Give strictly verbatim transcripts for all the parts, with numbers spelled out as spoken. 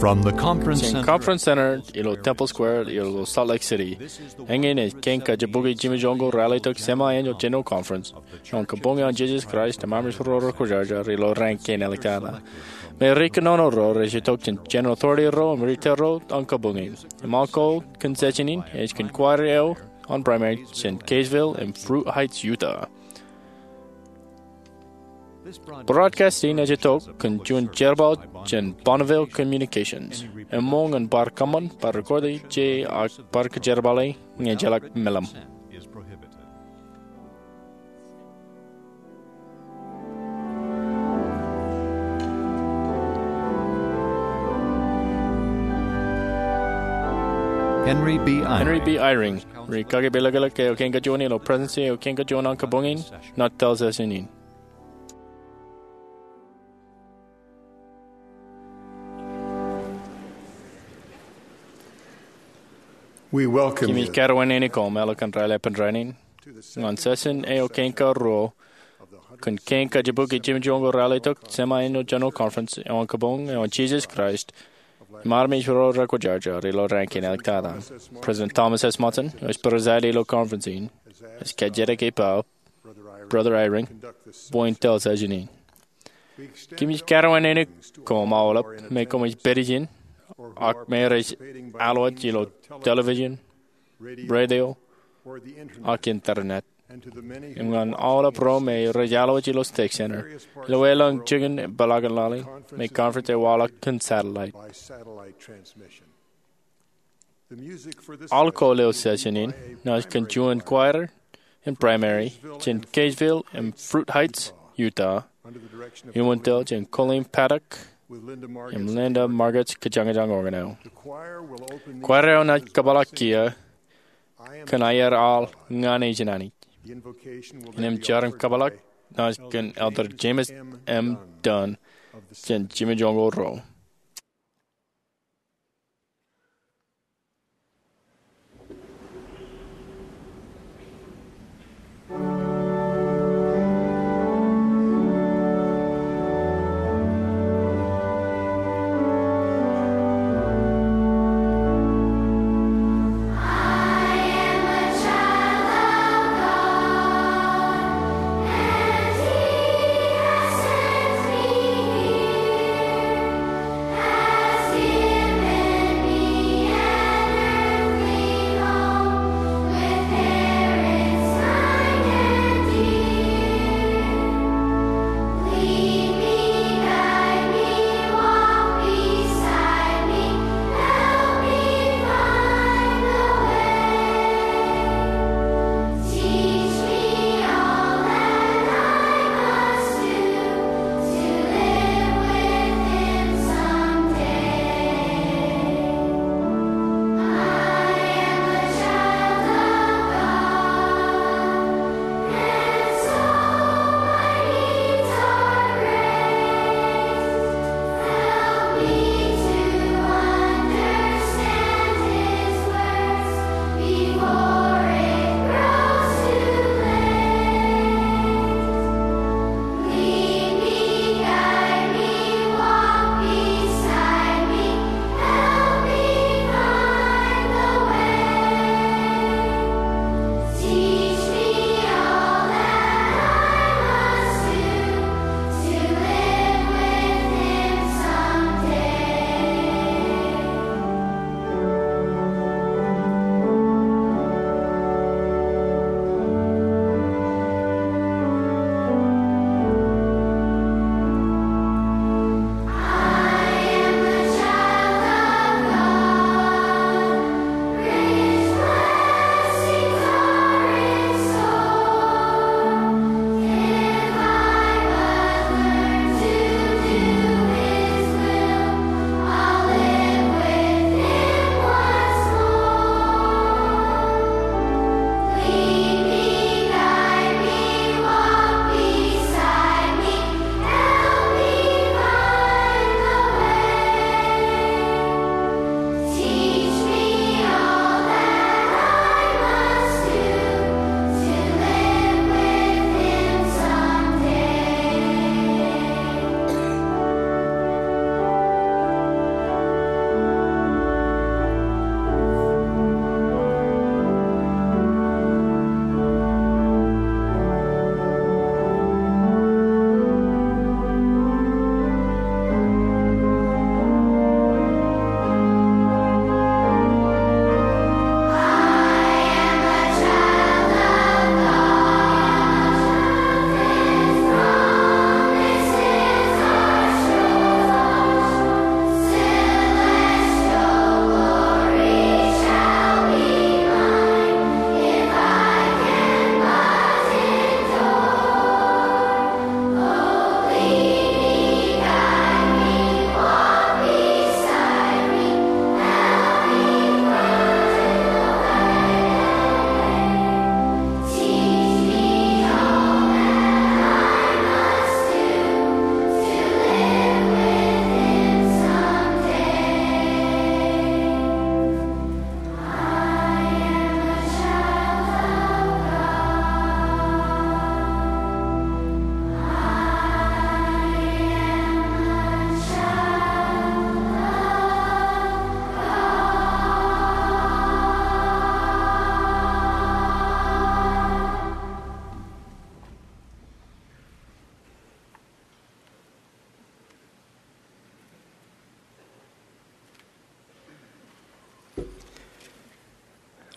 From the Conference Jān Center Conference Center ilo Temple Square ilo Salt Lake City, eñin ej Kein Kajjibukwi Jimmy Jones Rallytok Semi-Annual General Conference eo an Kabuñ eo an Jesus Christ Eṃṃan Ro Rekwōjarjar ilo raan kein āliktata. Im ri kōnono ro rej itok jān General Authority ro im ri tōl ro an kabuñ in. Im aolep kōn session in ej kōn kwair eo an primary jān Kaysville im Fruit Heights, Utah. Broadcast in ej itok kōn juon jerbal jān Bonneville Communications. Eṃṃool ñan bar kōṃṃan, bar recording e, ak bar kōjerbale ñe ejjeḷọk meḷeḷe. Henry B. Eyring. Henry B. Eyring, ri kaki peḷeḷeik eo kein kajoor ilo Presidency eo kein kajoor an kabuñ in, enaaj tōl session in. Kōmij kōrā wōt neen in koṃ ilo kōn raelepen rainin ñan session eo kein karuo kōn Kein Kajjibukwi Jimmy Jones Rallytok Semi-Annual General Conference eo an Kabuñ eo an Jesus Christ Eṃṃan Ro Rekwōjarjar ilo raan kein āliktata. President Thomas S. Monson, eo ej preside ilo conference in, ej kajjitōk ippa Brother Eyring bwe en tōl session in. Kōmij kōrā wōt neen in koṃ aolep, me koṃij pād ijin, ak me rej alwōj ilo television, radio, ak internet. Im ñan aolep ro me rej alwōj ilo station ilo elōñ jikin peḷaakin laḷ in, me conference ej waḷọk kōn satellite. Alkohol eo session in enaaj kōn juon kwair in primary jān Kaysville im Fruit Heights, Utah, iuṃwin tōl jān Colleen Paddock im Linda Margetts kōjañjañ organ eo. Kwair eo enaaj kōpeḷḷọk kiiō kōn Aer Aḷ Ña Nejin Anij. Innām jar im kōpeḷḷọk enaaj kōn Elder James M. Dunn jān Jimmy Jones Ro.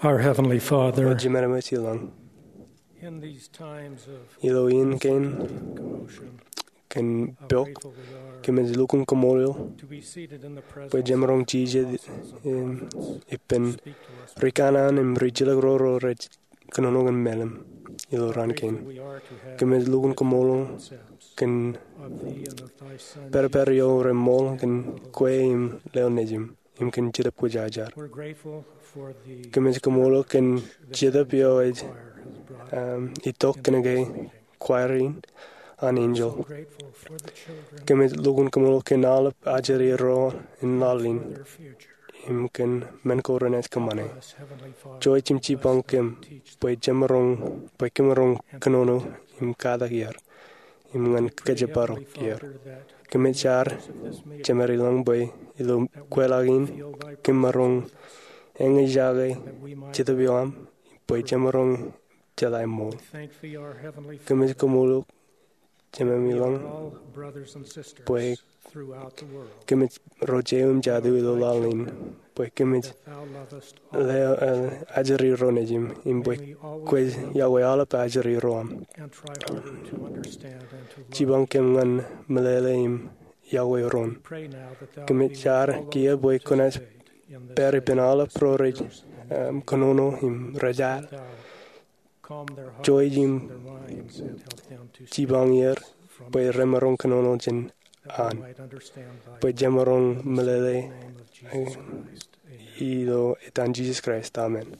Our Heavenly Father, Ro Jemān Ṃōj ilañ, in these times of ilo iien kein commotion, kōn how pok, grateful we are kōmij lukkuun kaṃṃoolol to be seated in the bwe presence jemaroñ of jijet apostles and im prophets ippān speak to us. Ri kanaan im ri jilkinḷọk ro rej kōnono kōn meḷeṃ ilo raan kein. Grateful we are to have Kōmij lukkuun kaṃṃoolol concepts kōn of thee and of thy Son, pād pād Jesus, eo remool kōn kwe im leo nejiṃ im kōn Jetōb Kwōjarjar. We're grateful for the Kōmij kaṃṃoolol kōn privilege jetōb eo ej, choir has brought um, itok kōnke kwaer in an enjeḷ. We're so grateful for the children. Kōmij lukkuun kaṃṃoolol kōn aolep ajri ro in laḷ in im kōn men ko renaaj kōṃṃane. Joij im jipañ kōm bwe jemaroñ, bwe kōmaroñ kōnono im katak er im ñan kōjparok er. Kōmij jar, Jemān ilañ, bwe ilo kweḷọk in kōmaroñ eñjake Jetōb eo aṃ bwe jemaroñ jeḷā ṃool. Kōmij kaṃṃoolol Jemān ilañ bwe kōmij ro jeiū im jatū ilo laḷ in, bwe kōmij leo, eh, ajri ro nejiṃ, im bwe kwōj yokwe aolep ajri ro aṃ. Jipañ kōm ñan meḷeḷe im yokwe ro aṃ. Kōmij jar kiiō bwe kwōnaaj pād ippān aolep ro rej, um, kōnono im rej al. Joij im jipañ er bwe remaroñ kōnono jān an, bwe jemaroñ meḷeḷe, eh, ilo etan Jisōs Kraist, amen.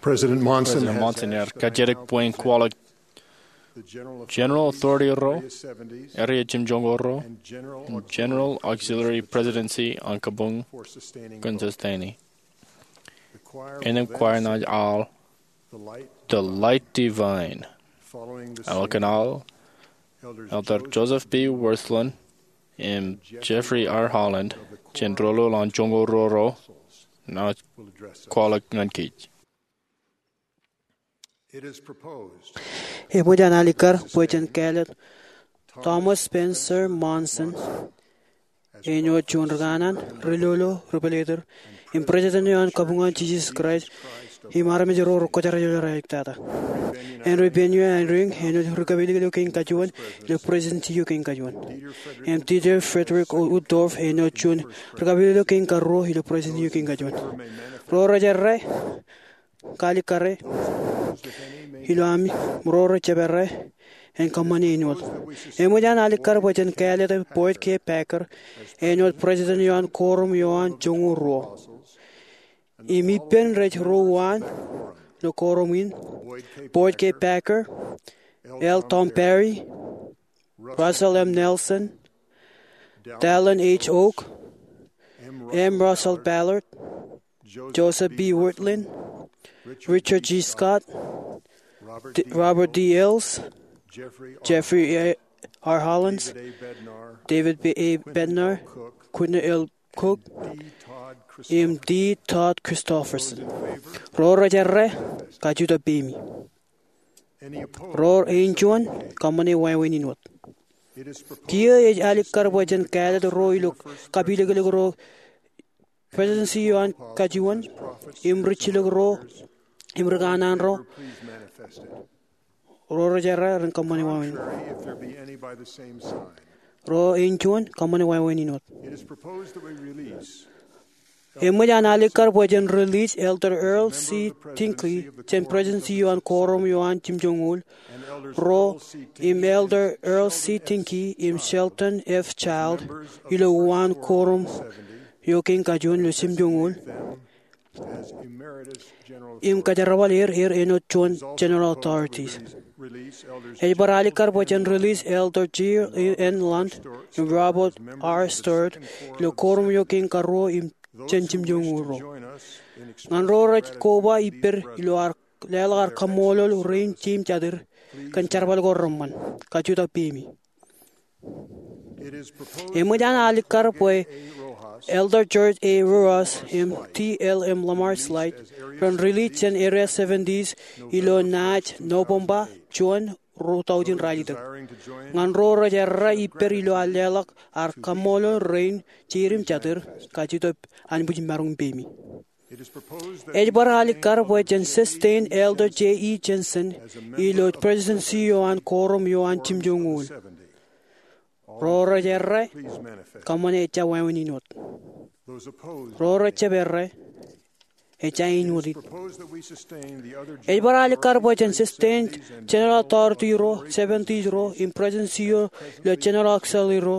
President Monson President Monson ear kajjitōk bwe in kwaḷọk General Authority ro, Area Jimjoñoul ro, im General Auxiliary Presidency an kabuñ kōn sustaining. Innem kwaer in naaj al The Light Divine. Eḷap kōn al, Elder Joseph B. Wirthlin im Jeffrey R. Holland jān ro ḷọk an joñoul ruo ro naaj kwaḷọk ñan kōj. Eṃōj an alikkar bwe jen kāālōt Thomas Spencer Monson āinwōt juon ri kanaan, ri lolo, ri pālōtōr, im President eo an kabuñ an Jisōs Kraist im armej ro rekwōjarjar eo raelep tata. Henry Bennion Eyring āinwōt ri kapilōklōk kein kajuon ilo Presidency eo kein kajuon. Im Dieter Friedrich Uchtdorf āinwōt juon ri kapilōklōk kein karuo ilo Presidency eo kein kajuon. Ro rej errā, kalikkare ilo ami, ro rej jab errā, en kōṃṃane āinwōt. Eṃōj an alikkar bwe jen kāālōt Boyd K. Packer āinwōt President eo an Koorum eo an Joñoul Ruo. Im ippān rej ro uwaan ilo koorum in, Boyd K. Packer, L. Tom Perry, Russell M. Nelson, Dallin H. Oak, M. Russell Ballard, Joseph B. Wirthlin, Richard G. Scott, D-, Robert D. Hales, Jeffrey A. R. Holland, David A. Bednar, Quentin L. Cook, im D. Todd Christofferson. Ro rej errā, kajutōk peimi. Ro eo ejuon, kōṃṃane wāween in wōt. Kiiō ej alikkar bwe jen kāālōt ro ilo kapilōklōk ro Presidency eo an kajuon, im rijjilōk ro, im ri kanaan ro, ro rej errā ren kōṃṃane wāween. Ro eo ejuon, kōṃṃane wāween in wōt. Eṃōj an alikkar bwe jen release Elder Earl C. Hinckley jān Presidency eo an Koorum eo an Jimjoñoul Ruo, im Elder Earl C. Hinckley im Sheldon F. Child ilo uwaan koorum eo kein kajuon ilo jimjoñoul, im kajerbal er, er āinwōt juon General Authorities. Ej bar alikkar bwe jen release Elder J. N. Lund im Robert R. Sturd ilo koorum eo kein karuo im jān jimjoñoul ruo. Ñan ro rej koba ippād ilo ad leḷọk ad kaṃṃoolol rein jeiū im jatū kōn jerbal ko reṃṃan, kajutōk peimi. Eṃōj an alikkar bwe Elder George A. Rojas im T. L. M. Lamar Slight ren release jān Area Seventies ilo naaj Nobōṃba juon ruo taujin ralitōk. Ñan ro rej errā ippād ilo ad leḷọk ad kaṃṃoolol rein jeid im jatid, kajjitōk anbwijmaroñ peimi. Ej bar alikkar bwe jen sestein Elder Jay E. Jensen ilo presidency eo an koorom eo an jimjuonñoul. Ro rej errā, kōṃṃane ejja wāween in wōt. Ro rej jab errā, ejja āinwōt it. Ej bar alikkar bwe jen sestein General Authority ro, seventies ro, im presidency eo ilo General Auxiliary ro,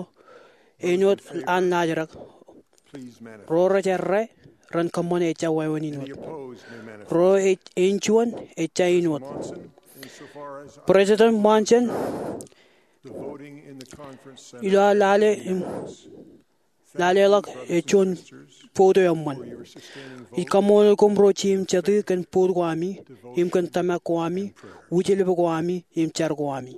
āinwōt an laajrak. Ro rej errā, ren kōṃṃane ejja wāween in wōt. Ro ej āinjuon, ejja āinwōt. President Monson, ilo ad lale im laleḷọk ej juon vote eo eṃṃan. Ij kaṃṃoolol koṃ ro jeid im jatid kōn vote ko ami, im kōn tōmak ko ami, wijilep ko ami, im jar ko ami.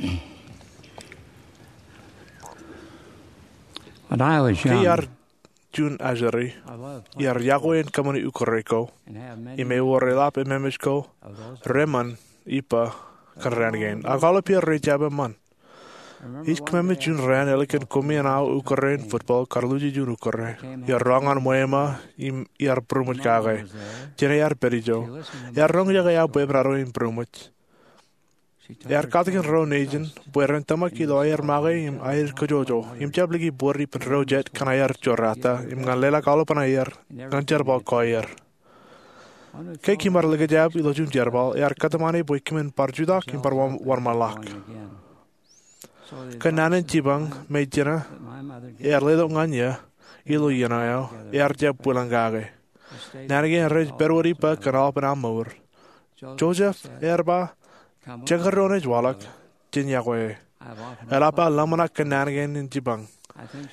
When I was young, Ke iar juon ajri, I loved iar yokwe in kōṃṃani ukōre ko, and have many im ewōr eḷap ememej ko of those reṃṃan ippa kōn raan kein. Ak aolep er rej jab eṃṃan. Ij kōṃṃane juon raan ālikin koṃeañ aō ukōre in football kar luuji juon ukōre. Iar roñ ñan ṃweo eo im iar būroṃōj kake. Jen iar pād ijo. Iar roñjake aō bwebwenato im būroṃōj. Iar katakin ro nejin bwe ren tōmak ilo aer make im aer kōjọjọ im jab liki bōd ippān ro jet kōn aer jorata im ñan leḷọk aolepān aer ñan jerbal ko aer. Ke kōm ar likjab ilo juon jerbal, ear kōtmāne bwe kōmin bar jutak im bar wōnṃaanḷọk. Kōn naan in jipañ me jeṇe ear letok ñan eō ilo iien eo, ear jab bwilōñ kake. Naan kein rej pād wōt ippa kōn aolepān aō mour. Joseph ear ba, "Jekdọọn ej waḷọk, jen yokwe e." Eḷap aō ḷōmṇak kōn naan kein in jipañ.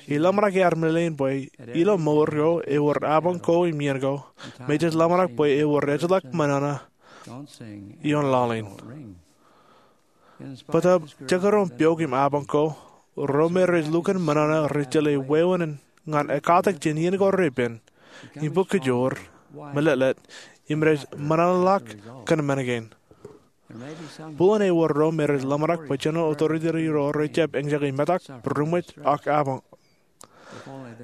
Im ḷōmṇak ear meḷeḷein bwe ilo mour ko ewōr apañ ko im iien ko me jej ḷōmṇak bwe ewōr ejjeḷọk ṃōṇōṇō ioon laḷ in. Bōtab jekdọọn pioik im apañ ko, ro me rej lukkuun ṃōṇōṇō rej jeḷā wāween ñan ekkatak jān iien ko repen im bōk kōjoor, meḷeḷe, im rej ṃōṇōṇōḷọk kōn men kein. Buḷōn ewōr ro me rej ḷōmṇak bwe General Authority ro rej jab eñjake metak, būroṃōj, ak apañ.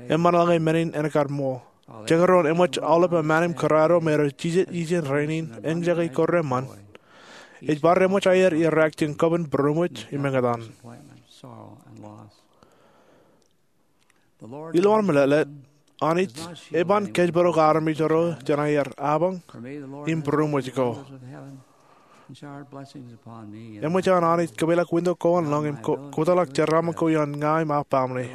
Eṃṃan ḷọk men in en kar ṃool. Jekdọọn eṃōj aolep aṃaan im kōrā ro me rej jijet ijin rainin eñjake ko reṃṃan. Ej bar eṃōj aer irraak jān kōban būroṃōj im eñtaan. Ilowaan meḷeḷe, Anij eban kōjparok armej ro jān aer apañ im būroṃōj ko. Eṃōj an Anij kōpeḷḷọk winto ko an lōñ im ko-, kōtḷọk jeraaṃṃan ko ioon ña im aō baaṃle.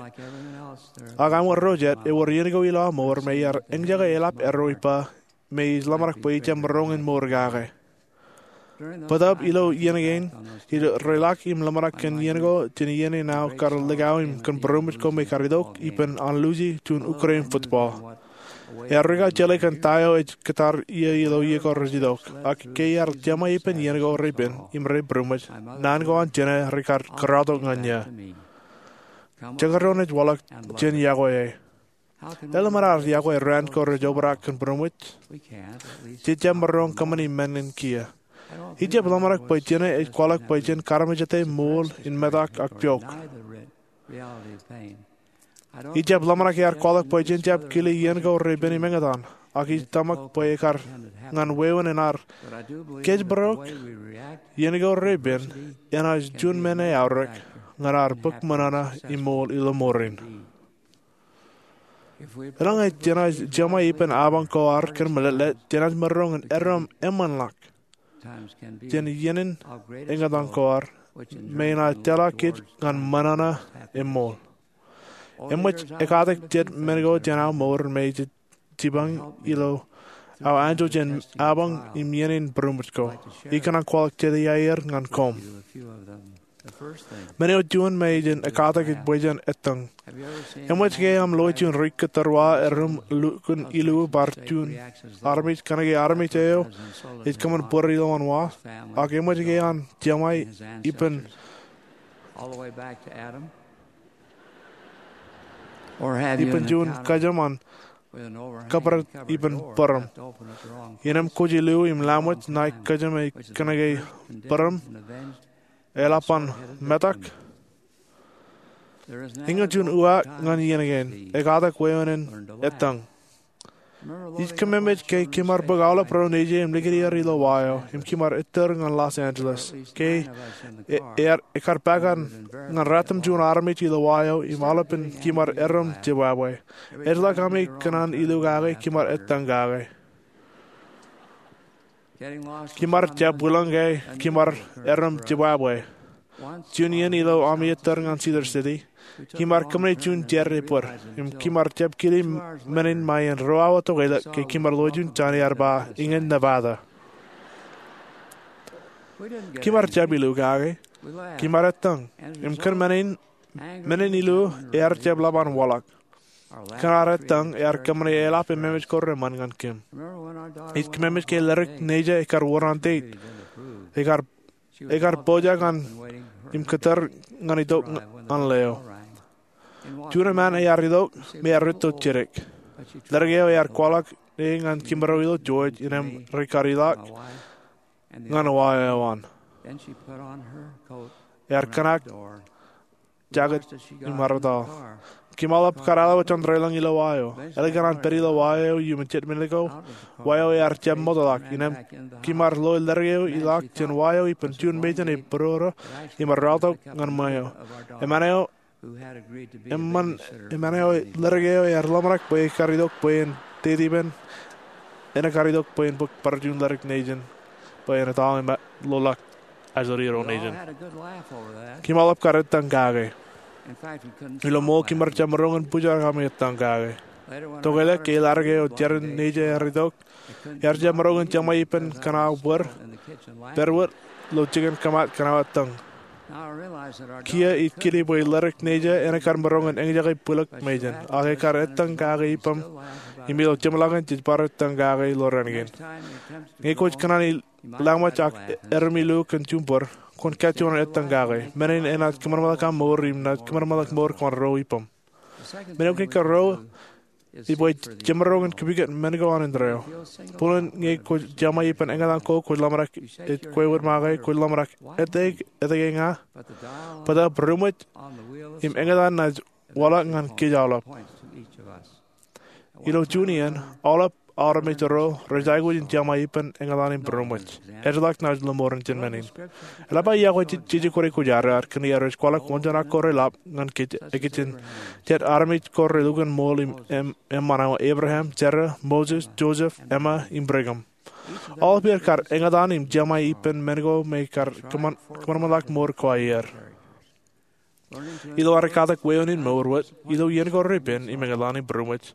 Ak āinwōt ro jet, ewōr iien ko ilo aō mour me iar eñjake eḷap erro ippa me ij ḷōmṇak bwe ij jab maroñ in mour kake. Bōtab ilo iien kein, ij reḷak im ḷōmṇak kōn iien ko jān iien in aō kar likao im kōn būroṃōj ko me kar itok ippān an luuji juon ukōre in football. Ear rūkaki jeḷā kōn ta eo ej kōttar ie ilo iien ko rej itok, ak ke iar jeṃae ippān iien ko repen im rej būroṃōj, naan ko an jeṇe rekar kōrā tok ñan eō. Jekdọọn ej waḷọk, jen yokwe e. Eḷap an ar yokwe raan ko rej obrak kōn būroṃōj? Jej jab maroñ kōṃṃani men in kiiō. Ij jab ḷōmṇak bwe jeṇe ej kwaḷọk bwe jen karmejete ṃool in metak ak pioik. Ij jab ḷōmṇak ear kwaḷọk bwe jen jab kile iien ko repen im eñtaan, ak ij tōmak bwe ekar ñan wāween in ar kōjparok iien ko repen enaaj juon men eaorōk ñan ar bōk ṃōṇōṇō im ṃool ilo ṃoor in. Eḷaññe jenaaj jeṃae ippān apañ ko ad kōn meḷeḷe, jenaaj maroñ in errem eṃṃanḷọk jān iien in eñtaan ko ad me enaaj tōl kōj ñan ṃōṇōṇō im ṃool. Eṃōj ekkatak jet men ko jān aō mour me ej jipañ ilo aō anjọ jān apañ im iien in būroṃōj ko. Ij kōṇaan kwaḷọk jet iaer ñan koṃ. Men eo juon me ej ekkatak ej bwe jen ettōñ. Eṃōj ke aṃ loe juon ri kōttar wa erom lukkuun ilu bar juon armej kōnke armej eo ej kōṃṃan bōd ilowaan wa? Ak eṃōj ke an jeṃae ippān ippān juon kōjām an kōpret ippān bōrom. Innem kōj ilu im laṃōj ṇae kōjām eo kōnke bōrom eḷap an metak. Eñin juon uwaak ñan iien kein, ekkatak wāween in ettōñ. Ij kōmmemej ke kōm ar bōk aolep ro nejier im likūt er ilo wa eo, im kōm ar ettōr ñan Los Angeles. Ke e-, ear, ekar pād ñan ratimjuon armej ilo wa eo, im aolepān kōm ar errem jibwābwe. Ejjeḷọk ami kōṇaan ilu kake, kōm ar ettōñ kake. Kōm ar jab bwilōñ ke kōm ar errem jibwābwe. Juon iien ilo ami ettōr ñan Cedar City, kōm ar kōṃṃane juon jar ebōd, im kōm ar jab kile men in ṃae in ruo awa tokālik ke kōm ar loe juon jān ear ba Eñin Nevada. Kōm ar jab ilu kake, kōm ar ettōñ, im kōn men in, men in ilu ear jab ḷap an waḷọk. Kōn ad ettōñ ear kōṃṃane eḷap ememej ko reṃṃan ñan kōm. Ij kōmmemej ke ledik nejā ekar wōr an date. Ekar, ekar pojak an im kōttar ñan itok ñan leo. Juon eṃṃan ear itok me ear rūtto jidik. Leddik eo ear kwaḷọk e ñan kimarro ilo George innām rekar ilọk ñan wa eo an. Ear kōṇaan jaket im arōtaḷ. Kimaḷap kar aolep jān raelōñ ilo wa eo. Ālikin an pād ilo wa eo iuṃwin jet minit ko, wa eo ear jab ṃootḷọk. Innām kimaar loe leddik eo ilọk jān wa eo ippān juon mejān e būrodo im ear raortok ñan ṃweo. Eṃṃan eo, eṃṃan, eṃṃan eo leddik eo ear ḷōmṇak bwe ekar itok bwe en deitipen, en ekar itok bwe en bōk bar juon leddik nejin bwe en etal im loḷọk ajri ro nejin. Kimaḷap kar ettōñ kake. Ilo ṃool kimaar jab maroñ in bōjrak ami ettōñ kake. Tokālik ke leddik eo jeran nejin ear itok, ear jab maroñ in jeṃḷọk ippān kōṇaan bōd, pād wōt ilo jikin kōmat kōṇaan ettōñ. Kiiō ij kile bwe leddik nejin en ekar maroñ in eñjake bwilōk mejān, ak ekar ettōñ kake ippaṃ im ilo jeṃḷọkin jej bar ettōñ kake ilo raan kein. Ñe kwōj kōṇaan lañmwaj ak erom ilo kōn juṃ bōd, kwōn kajjojo ettōñ kake. Men in enaaj kōṃanṃanḷọk aṃ mour im naaj kōṃanṃanḷọk mour ko an ro ippaṃ. Men eo kein karuo, ij ba, jemaroñ in kipikot men ko an indeeo. Bōlen ñe kwōj jeṃḷọk ippān eñtaan ko kwōj ḷōmṇak ej kwe wōt make, kwōj ḷōmṇak, etke, etke ña? Bōtaab būroṃōj im eñtaan naaj waḷọk ñan kōj aolep. Ilo juon iien, aolep armej ro rej aikuj in jeṃḷọk ippān eñtaan im būroṃōj. Ejjeḷọk naaj lọmọọren jān men in. Eḷap aō iọkwe jeje kōn aikuj ad kōn iar rej kwaḷọk wōnjeṇ ak ko reḷap ñan kōj, ikijjien jet armej ko relukkuun ṃool im, im, eṃṃan eo, Abraham, Sera, Moses, Joseph, Emma, im Brigham. Aolep er kar eñtaan im jeṃḷọk ippān men ko me kar kōṃan, kōṃanṃanḷọk mour ko aer. Ilo ad katak wāween in mour wōt, ilo iien ko repen im eñtaan im būroṃōj,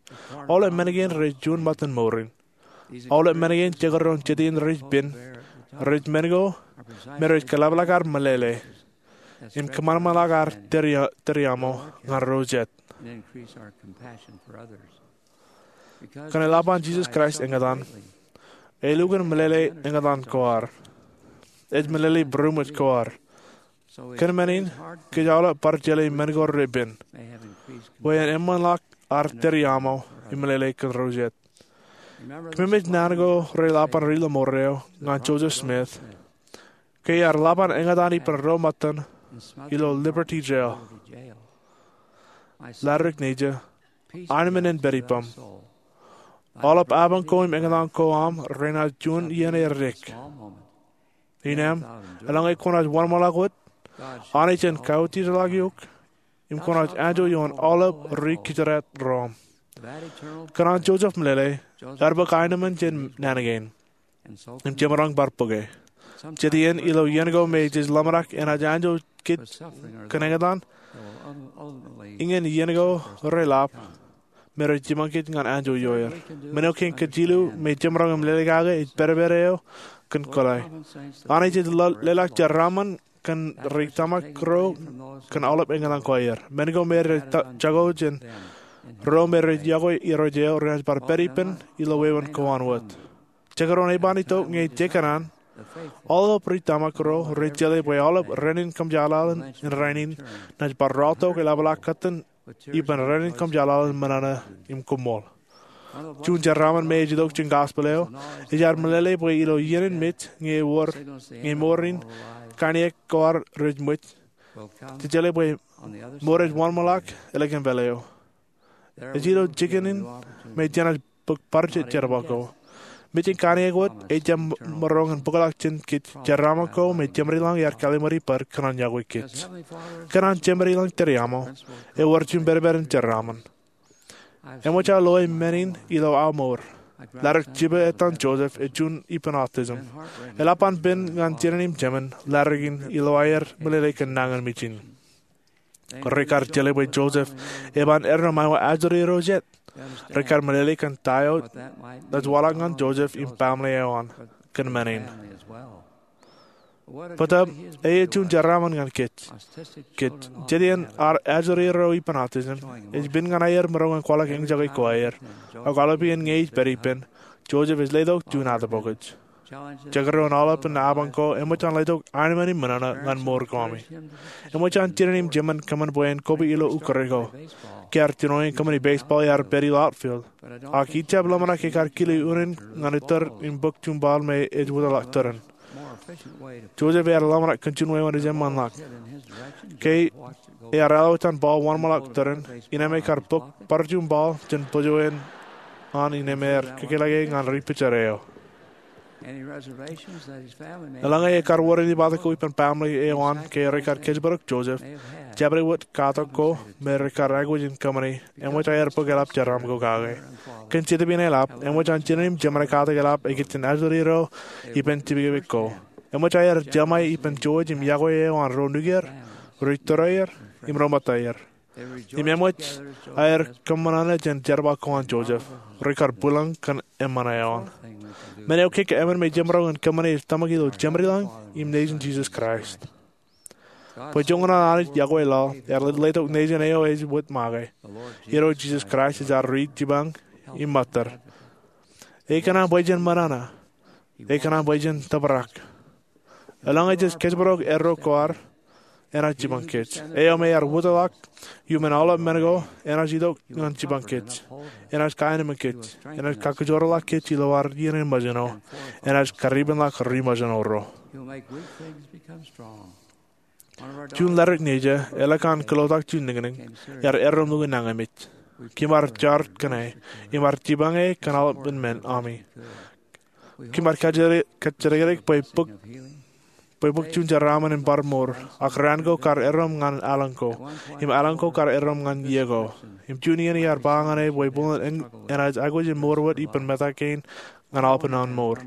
aolep men kein rej juon ṃōttan mour in. Aolep men kein jekdọọn jet iien rej pen, rej men ko me rej kaḷapḷọk ad meḷeḷe im kōṃanṃanḷọk ad tōre, tōre aṃo ñan ro jet. Kōn eḷap an Jisōs Kraist eñtaan, elukkuun meḷeḷe eñtaan ko ad. Ej meḷeḷe būroṃōj ko ad. Kōn men in, kōj aolep bar jeḷā men ko repen, bwe en eṃṃanḷọk ad tōre aṃo im meḷeḷe kōn ro jet. Kōmemej naan ko reḷap an ri lọmọọr eo ñan Joseph Smith ke ear ḷap an eñtaan ippān ro ṃōttan ilo Liberty Jail. Leddik nejin, aenōṃṃan en pād ippaṃ. Aolep apañ ko im eñtaan ko aṃ renaaj juon iien edik. Innām, eḷaññe kwōnaaj wōnṃaanḷọk wōt, Anij en kautiej ḷọk eok im kwōnaaj anjọ ioon aolep ri kōjdat ro aṃ. Kōn an Joseph meḷeḷe, ear bōk aenōṃṃan jān naan kein im jemaroñ bar bōke. Jet iien ilo iien ko me jej ḷōmṇak enaaj anjọ kōj kōn eñtaan, iñin iien ko reḷap me rej jiṃa kōj ñan anjọ ioer. Men eo kein kōj jilu me jemaroñ im lelōñ kake ej pedped eo kōn kōḷḷā. Anij ej leḷọk jeraaṃṃan kōn ri tōmak ro kōn aolep eñtaan ko aer. Men ko me rej jako jān ro me rej yokwe irooj eo renaaj bar pād ippān ilo wāween ko an wōt. Jekdọọn eban itok ñe jekōṇaan, aolep ri tōmak ro rej jeḷā bwe aolep raan in kōmjaḷaḷ in rainin naaj bar raortok eḷapḷọk kōttan ippān raan in kōmjaḷaḷ in ṃōṇōṇō im koṃṃool. Juon jeraaṃṃan me ej itok jān gospel eo ej ad meḷeḷe bwe ilo iien in mej ñe ewōr, ñe mour in kaṇiōk ko ad rej ṃōj, jej jeḷā bwe mour ej wōnṃaanḷọk ālikin pālle eo. Ej ilo jikin in me jenaaj bōk bar jet jerbal ko. Mej in kaṇiōk wōt ejjab maroñ in bōkḷọk jān kōj jeraaṃṃan ko me Jemedelañ ear kallim̧uri bōd kōn an yokwe kōj. Kōn an Jemedelañ tōre aṃo, ewōr juon pedped in jeraaṃṃan. Eṃōj aō loe men in ilo aō mour. Leddik jipañ etan Joseph ej juon ippān autism. Eḷap an pen ñan jinen im jemān leddik in ilo aer meḷeḷe kōn nañinmej in. Rekar jeḷā bwe Joseph eban eddo ṃae eo ajri ro jet. Rekar meḷeḷe kōn ta eo naaj waḷọk ñan Joseph im baaṃle eo an kōn men in. Bōtaab, ej juon jeraaṃṃan ñan kōj. Kōj, jet iien ad ajri ro ippān autism ej pen ñan aer maroñ in kwaḷọk eñjake ko aer. Ak aolepān iien ñe ej pād ippān, Joseph ej letok juon atōpokoj. Jekdọọn aolep in apañ ko eṃōj an letok aenōṃṃan im minana ñan mour ko ami. Eṃōj an jinen im jemān kōṃṃan bwe en koba ilo ukōre ko. Kiar jinoin kōṃṃani baseball ear pād ilo outfield. Ak ij jab ḷōmṇak ekar kile unin ñan itar im bōk juṃbaḷ me ej wōtlọk tōren. Joseph ear ḷōmṇak kōn juon wāween ej eṃṃanḷọk. Ke ear ālwōj an ball wōnṃaanḷọk tōren, innem ekar bōk bar juṃbaḷ jān bōjwōn an innem ear kōkōḷḷe ñan ri picture eo. Eḷaññe ekar wōr ej ippān ko ippān baaṃle eo an ke rekar kōjparok Joseph, jabdewōt katak ko me rekar aikuj in kōṃṃani eṃōj aer bōk eḷap jeraaṃ ko kake. Kōn Jetōb in eḷap, eṃōj an jinen im jemān katak eḷap ekijjien ajri ro ippān tipikipik ko. Eṃōj aer jeṃae ippān jouj im yokwe eo an ro nukier, ri tōre er, im ro ṃōtta er. Im eṃōj aer kōṃṃan ñan jerbal ko an Joseph, rekar bwilōñ kōn eṃṃan eo an. Men eo kōkōṃṃan me jemaroñ in kōṃṃane ej tōmak ilo Jemdelañ im Nejin Jisōs Kraist. Bwe joñan an Anij yokwe laḷ, ear letok Nejin eo ej wōt make. Irooj Jisōs Kraist ej ad ri jipañ im ṃōttad. Ekōṇaan bwe jen ṃōṇōṇō. Ekōṇaan bwe jen tōprak. Eḷaññe jej kōjparok erro ko ad, enaaj jipañ kōj. Eo me ear wōtlọk iuṃwin aolep men ko, enaaj itok ñan jipañ kōj. Enaaj kaenōṃōn kōj. Enaaj kakijoorḷọk kōj ilo ad iien in ṃōjṇo. Enaaj karipenḷọk ri ṃōjṇo ro. Juon ledik nejā, eḷak an kōlotak juon niñniñ, ear erromḷọk ñan kōmij. Kōm ar jar kōn e, im ar jipañ e kōn aolepān men ami. Kōm ar kajjidikdik bwe bōk, bwe bōk juon jeraaṃṃan in bar mour, ak raan ko kar erromḷọk ñan aelōñ ko, im aelōñ ko kar erromḷọk ñan iiō ko. Im juon iien iar ba ñan e bwe bōlen enaaj aikuj in mour wōt ippān meta kein ñan aolepān an mour.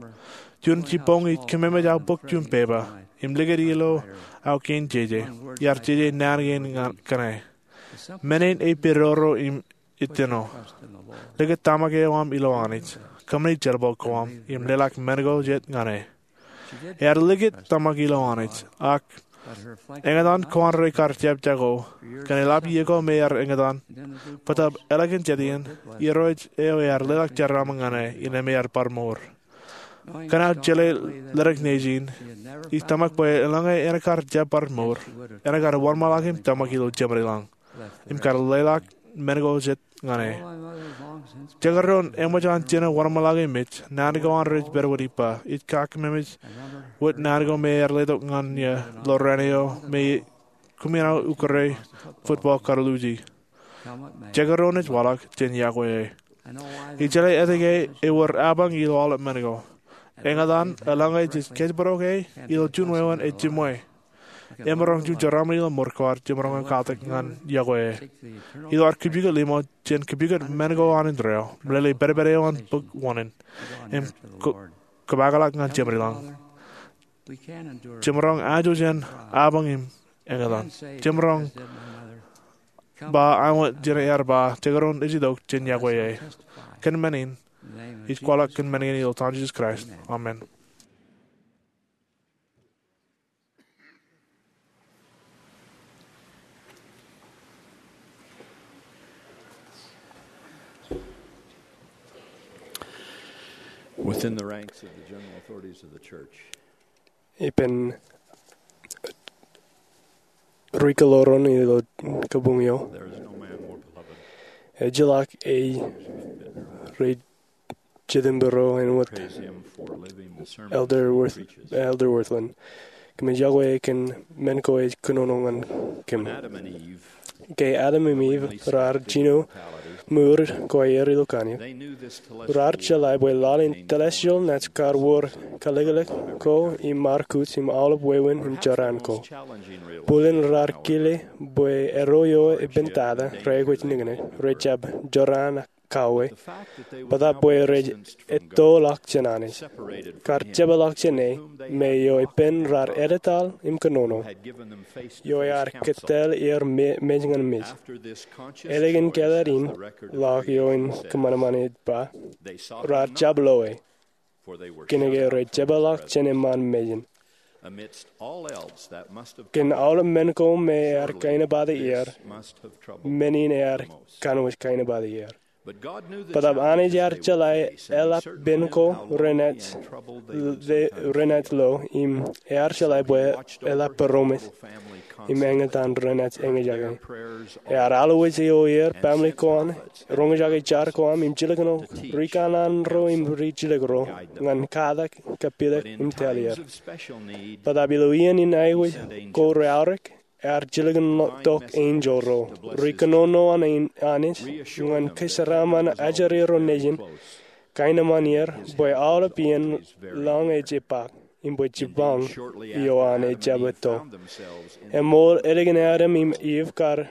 Juon jibboñ ij kōmemej aō bōk juon pepa, im likūt ilo aō kein jeje, iar jeje naan kein ñan kōn e. Men in ej pedorro im ejjeno. Likūt tōmak eo aṃ ilo Anij. Kōṃṃani jerbal ko aṃ, im leḷọk men ko jet ñan e. Ear likūt tōmak ilo Anij, ak eñtaan ko an rekar jab jako, kōn eḷap iiō ko me ear eñtaan, bōtab eḷak in jet iien, irooj eo ear leḷọk jeraaṃṃan ñan e, innem ear bar mour. Kōn aō jeḷā ledik nejin, ij tōmak bwe eḷaññe en kar jab bar mour, en kar wōnṃaanḷọk im tōmak ilo Jemdelañ, im kar leḷọk men ko jet ñan e. Jekdọọn eṃōj an jinen wōnṃaanḷọk im mej, naan ko an rej pād wōt ippa, ij kakememej wōt naan ko me ear letok ñan eō ḷọk raan eo me koṃwin aō ukōre football kar luuji. Jekdọọn ej waḷọk, jen yokwe e. Ij jeḷā etke ewōr apañ ilo aolep men ko. Eñtaan, eḷaññe jej kōjparok e ilo juon wāween ej jiṃwe. Emaroñ juon jeraaṃṃan ilo mour ko ad jemaroñ in katak ñan yokwe e. Ilo ad kōpukot limo, jen kōpukot men ko an indeeo, meḷeḷe pedped eo an bōk wōnin, im kō-, kōpakḷọk ñan Jemdelañ. Jemaroñ anjọ jān apañ im eñtaan. Jemaroñ ba āinwōt jen ear ba, jekdọọn ej itok, jen yokwe e. Kōn men in, ij kwaḷọk kōn men in ilo etan Jisōs Kraist. Amen. Within the ranks of the general authorities of the church, ippān ri kōḷaron ilo kabuñ eo, there is no man more beloved. Ejjeḷọk ej ri Jitōnbōro āinwōt Elder Wirth-, Elder Wirthlin. Kōmij yokwe kōn men ko ej kōnono ñan kōm. Ke Adam im Iv raar jino mour ko aer ilo kanniōk, raar jeḷā bwe laḷ in telestial naaj kar wōr kalōklōk ko im markuj im aolep wāween im jorrāān ko. Bōlen raar kile bwe erro eo epen tata reaikuj niknik, rejjab jorrāān kauwe, bōtab bwe rej ettoḷọk jān Anij. Kar jepḷọk jān e, me eo ippān raar edetaḷ im kōnono. Eo ear kōttāāl er me-, mej ñan mej. Ālikin kāālōt in ḷọk eo in kōṃanṃan ej ba, raar jab lo e. Kōnke rej jepḷọk jān eṃṃaan mejān. Kōn aolep men ko me ear kainōbate er, men in ear kanooj kainōbate er. Bōtaab Anij ear jeḷā eḷap pen ko renaaj, renaaj lo im ear jeḷā bwe eḷap būroṃōj im eñtaan renaaj eñjake. Ear alwōj eo er baaṃle ko an, roñjake jar ko aṃ im jilkinḷọk rikanaan ro im rijilōk ro ñan katak, kapilōk im talier. Bōtaab ilo iien in aikuj ko reaorōk, ear jilkintok enjeḷ ro ri kōnono an Anij ñan kōjeraaṃṃan ajri ro nejin, kaenōṃṃan er bwe aolep iien lañ ej epaak im bwe jipañ ioon an ejjab etto. Eṃool ālikin Adam im Iv kar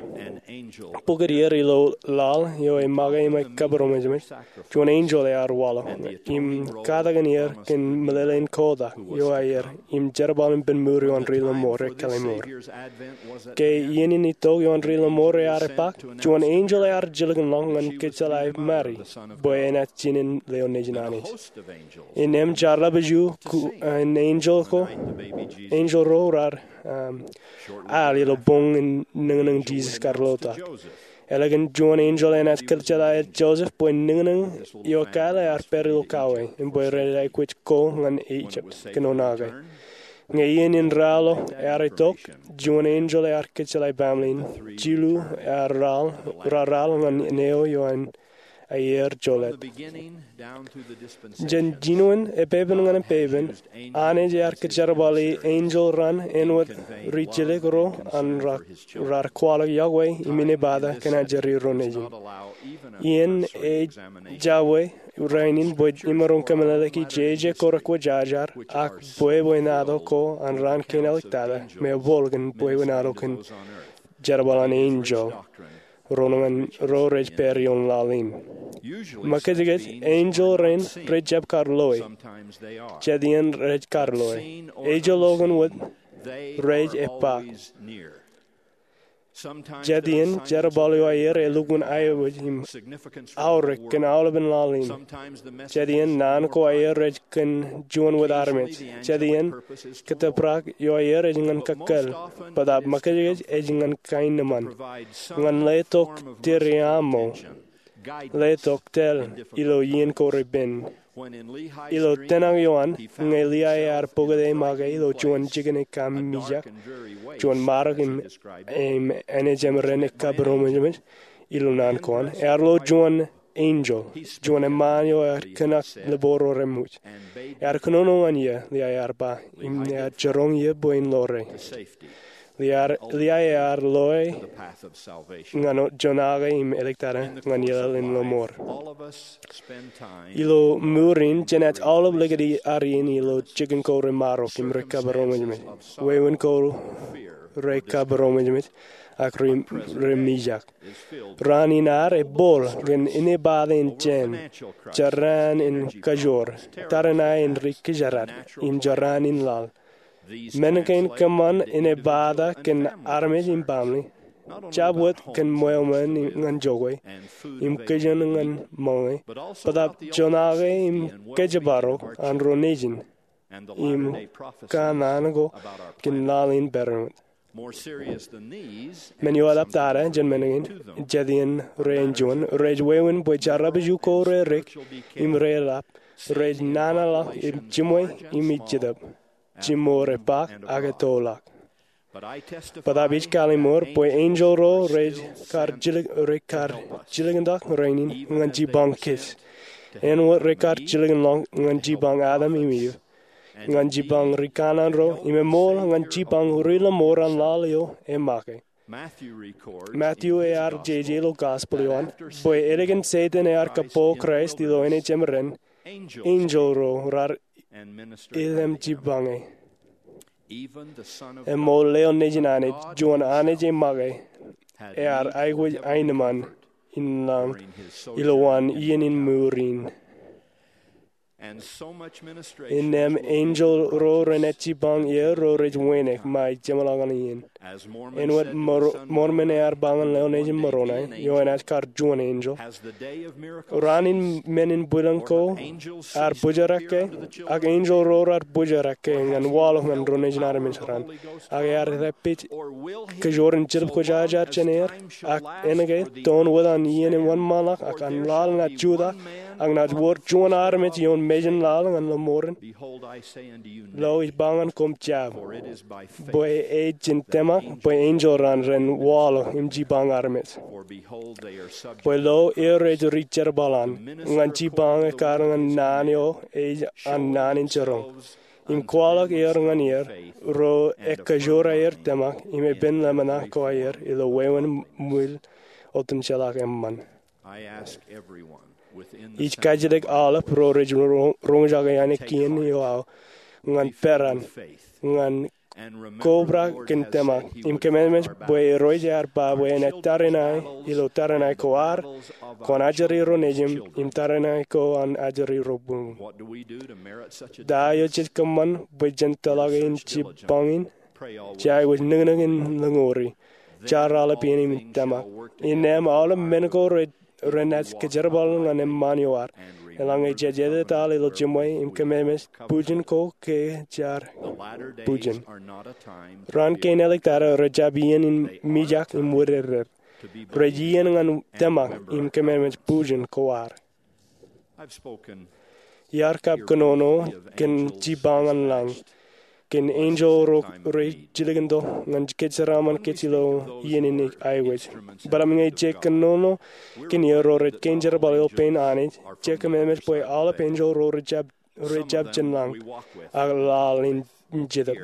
bukwi er ilo laḷ eo ej make im ej kabūroṃōjṃōj, juon enjeḷ ear waḷọk im katakin er kōn meḷeḷein kotak eo aer im jerbal in pen mour ioon ri lọmọọr ekkā lọmọọr. Ke iien in itok ioon ri lọmọọr ear epaak, juon enjeḷ ear jilkinḷọk ñan kōjjeḷā Mari bwe enaaj jinen leo nejin Anij. Innām jar ḷapḷọk eo an enjeḷ ko, enjeḷ ro raar al ilo boñ in niñniñ Jisōs kar lotak. Ālikin juon enjeḷ enaaj kōjjeḷā Joseph bwe niñniñ eo ekāāl ear pād ilo kawē im bwe ren aikuj ko ñan Ijipt kōnono ke. Ñe iien in raḷọk ear itok, juon enjeḷ ear kōjjeḷā baaṃle in, jilu ear raḷ, raar raḷ ñan neo eo an aier joḷọk. Jān jinoin epepen ñan epepen, Anij ear kōjerbali enjeḷ raṇ āinwōt rijilōk ro an raar kwaḷọk yokwe im inepata kōn ajri ro nejin. Iien ejja bwe rainin bwe imaroñ kōmeḷeḷeiki jeje ko rekwōjarjar ak bwebwenato ko an raan kein āliktata me ebooḷ kōn bwebwenato kōn jerbal an enjeḷ ro ñan ro rej pād ioon laḷ in. Makijkij enjeḷ rein rej jab kar loe. Jet iien rej kar loe. Ejjeḷọkin wōt rej epaak. Jet iien jerbal eo aer elukkuun aiboojoj im aorōk kōn aolepān laḷ in. Jet iien naan ko aer ej kōn juon wōt armej. Jet iien kōttōprak eo aer ej ñan kōkkōl. Bōtaab makijkij ej ñan kaenōṃṃan, ñan letok tiriaṃo, letok tōl ilo iien ko repen. Ilo tōmak eo an, ñe Liai ear pokite make ilo juon jikin ekkaṃ mijak, juon marok im, im āne jeṃren ekabūroṃōjṃōj ilo naan ko an, ear lo juon enjeḷ, juon eṃṃaan eo ear kōṇak liboor ro reṃōj. Ear kōnono ñan ie, Liai ear ba, im ear jiroñ ie bwe in lore. Liai ear loe ñan joñak im āliktata ñan ilaḷ in lọmọọr. Ilo mour in jenaaj aolep likūt ad iien ilo jikin ko remarok im rekabūroṃōjṃōj, wāween ko rekabūroṃōjṃōj, ak ri, remijak. Raan in ad ebooḷ kōn inepata in jān, jorrāān in kajoor, tariṇae in ri kijerad, im jorrāān in laḷ. Men kein kōṃṃan inepata kōn armej im baaṃle, jab wōt kōn ṃweo men ñan jokwe, im kijoñ ñan ṃōñā, bōtaab joñake im kōjparok an ro nejin, im kanaan ko kōn laḷ in peran wōt. Men eo eḷaptata jān men kein, jet iien rej juon, rej wāween bwe jarrabju ko rerik, im reḷap, rej nana ḷọk im jiṃwe im ej Jetōb, jiṃor epaak ak ettoḷọk. Bōtaab ij kalliṃur bwe enjeḷ ro rej kar jilkintok rainin ñan jipañ kōj, āinwōt rekar jilkinḷọk ñan jipañ Adam im Iv, ñan jipañ ri kanaan ro, im eṃool ñan jipañ ri lọmọọr an laḷ eo emake. Matthew ear jeje ilo gospel eo an bwe ālikin Setan ear kōpooḷ Kraist ilo āne jeṃren, enjeḷ ro raar ilem jipañ e. Eṃool Leo nejin Anij, juon Anij emake, ear aikuj aenōṃṃan in lañ ilowaan iien in mour in. Innām enjeḷ ro renaaj jipañ er ro rej wānōk ṃae jeṃḷọk ñan iien. Āinwōt Mormon ear ba ñan lewōj nejin Moronai, eo enaaj kar juon enjeḷ, raan in men in bwilōñ ko ar bōjrak ke, ak enjeḷ ro raar bōjrak ke ñan waḷọk ñan ro nejin armej raṇ. Ak ear rej pād kōjwōr in jetōb kwōjarjar jān er, ak āinwōt ke toon wōt an iien in wōnṃaanḷọk, ak an laḷ naaj jutak, ak naaj wōr juon armej ioon mejān laḷ ñan lọmọọren. Lo, ij ba ñan koṃ jab, bwe ej jān tōmak bwe enjeḷ raṇ ren waḷọk im jipañ armej. Bwe lo, er rej ri jerbal an ñan jipañ ekkar ñan naan eo ej an naan in jiroñ, im kwaḷọk er ñan er ro ekkōjwōr aer tōmak im epen ḷōmṇak ko aer ilo wāween ṃwiin otemjeḷā eṃṃan. Ij kajjitōk aolep ro rej roñjake ainikien eo aō ñan peran, ñan kobrak kōn tōmak im kōmemeej bwe Irooj ear ba bwe enaaj tariṇae ilo tariṇae ko ad, kwōn ajri ro nejin, im tariṇae ko an ajri ro buñū. Ta eo jej kōṃṃan bwe jen tōḷọke in jipañ in? Jej aikuj nōknōk in lōñouri, jar aolep iien im tōmak. Innām aolep men ko renaaj kōjerbal ñan eṃṃaan eo ad. Eḷaññe jej ededetal ilo jiṃwe im kōmemeej, bujin ko ke jar bujin. Raan kein āliktata rejjab iien in mijak im wūdeded. Rej iien ñan tōmak im kōmemeej bujin ko ad. Iar kab kōnono kōn jipañ an lañ, kōn enjeḷ ro rej jilkintok ñan kōjeraaṃṃan kōj ilo iien in aikuj. Bōtaab ñe jej kōnono kōn er ro rej kein jerbal ilo pein Anij, jej kōmemeej bwe aolep enjeḷ ro rej jab jān lañ, ak laḷ in jetōb.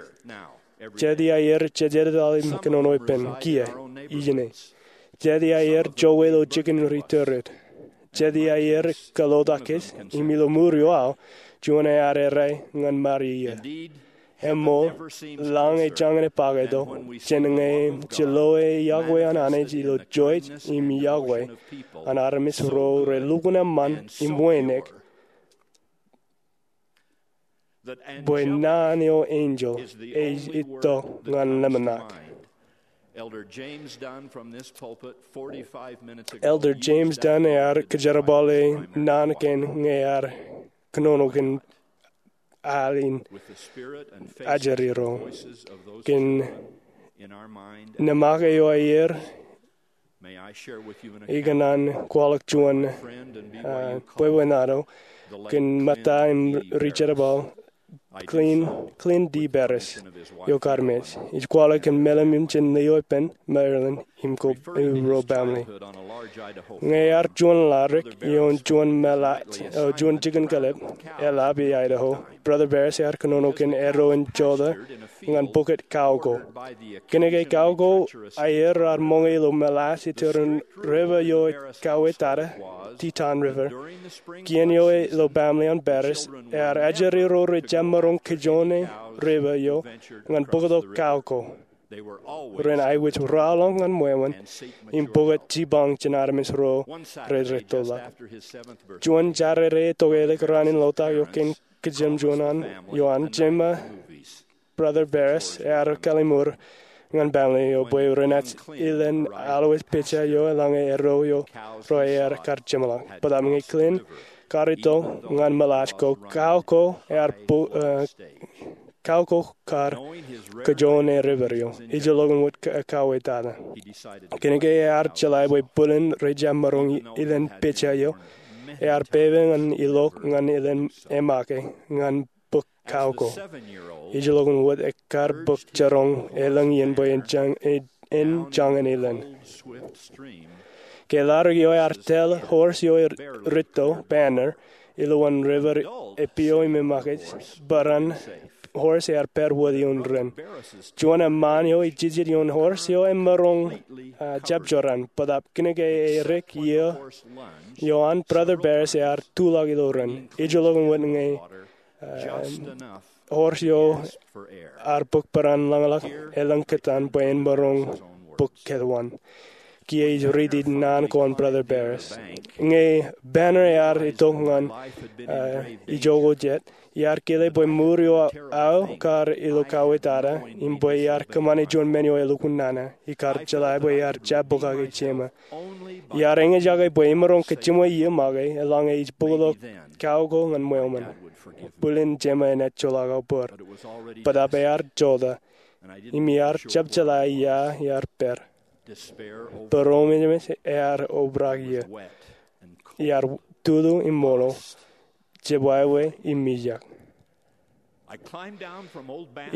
Jet iaer jej ededetal im kōnono ippān kiiō, ijin e. Jet iaer jowe ilo jikin ri tōret. Jet iaer kōḷotak kōj, im ilo ṃuri eo aō, juon ear errā ñan Maria. Eṃṃool, lañ ej jañin epakōto jān ñe jej loe iọkwe an Anij ilo juon im iọkwe an armej ro relukkuun eṃṃan im wānōk, bwe naan eo enjeḷ ej itok ñan ḷōmṇak. Elder James Dunn ear kōjerbale naan kein ñe ear kōnono kōn al in ajri ro. Kōn nemak eo aer, ikōṇaan kwaḷọk juon bwebwenato kōn ṃōtta im ri jerbal Glenn, Glenn D. Barris eo kar mej. Ij kwaḷọk kōn mālim in jān lio ippān Maryland im ko ro baaṃle. Ñe ear juon laḷ rik ioon juon mōḷaaj, eo juon jikin kōḷḷap, eḷap Idaho, Brother Barris ear kōnono kōn eddo in jota ñan bukot Kauko. Kōnke Kauko aer raar ṃōñā ilo mōḷaaj iturin river eo ekauwe tata, Teton River. Kien eo ilo baaṃle an Barris, ear ajri ro rej jab maroñ kajjoñe river eo ñan bōktok Kauko. Ren aikuj rọọlḷọk ñan wāween im bōk jipañ jān armej ro rej rettoḷọk. Juon Jādede etokelik raan in ḷotak eo kein kōjām juon an, eo an, jema Brother Barris ear kalliṃur ñan baaṃle eo bwe renaaj ilen aḷ wōt pija eo eḷaññe eddo eo ro aer kar jeṃḷọk. Bōtaab ñe Glenn kar itok ñan mōḷaaj ko, Kauko ear bōk, eh, Kauko kar kajjoñe river eo, ijellọkin wōt ka-, kauwe tata. Kōnke ear jeḷā bwe bwilin rej jab maroñ ilen pija eo, ear pepe ñan ilọk ñan ilen emake ñan bōk Kauko. Ijellọkin wōt ekkar bōk jiroñ elōñ iien bwe en jañ, en jañin ilen. Ke laḷ eo ear tōl horse eo ej ritto, Banner, ilowaan river epieo im emakej, bōran horse ear pād wōt ioon ren. Juon eṃṃaan eo ej jijet ioon horse eo emaroñ, ah, jab jorrāān, bōtaab kōnke erik iiō eo an, Brother Barris ear tuḷọk ilo ren. Ijellọkin wōt ñe, ah, horse eo ar bōk bōran ḷōñḷọk elōñ kōtaan bwe en maroñ bōk kōtwaan. kiiō ij riiti naan ko an Brother Parris. Ñe banner ear itok ñan, uh, ijoko jet, iar kile bwe mour eo aō kar ilo kauwe tata, im bwe iar kōṃṃane juon men eo elukkuun nana, ikar jeḷā bwe iar jab pokake jema. Iar eñjake bwe imaroñ kōjimwe iiō make, eḷaññe ij bōkḷọk kao ko ñan ṃweo ṃōn. Bōlen jema enaaj joḷọk aō bōd. Bōtaab ear jota, im iar jab jeḷā ia iar pād. Būromejeṃej ear obrak iiō. Iar tutu im ṃoḷo, jebwābwe im mijak.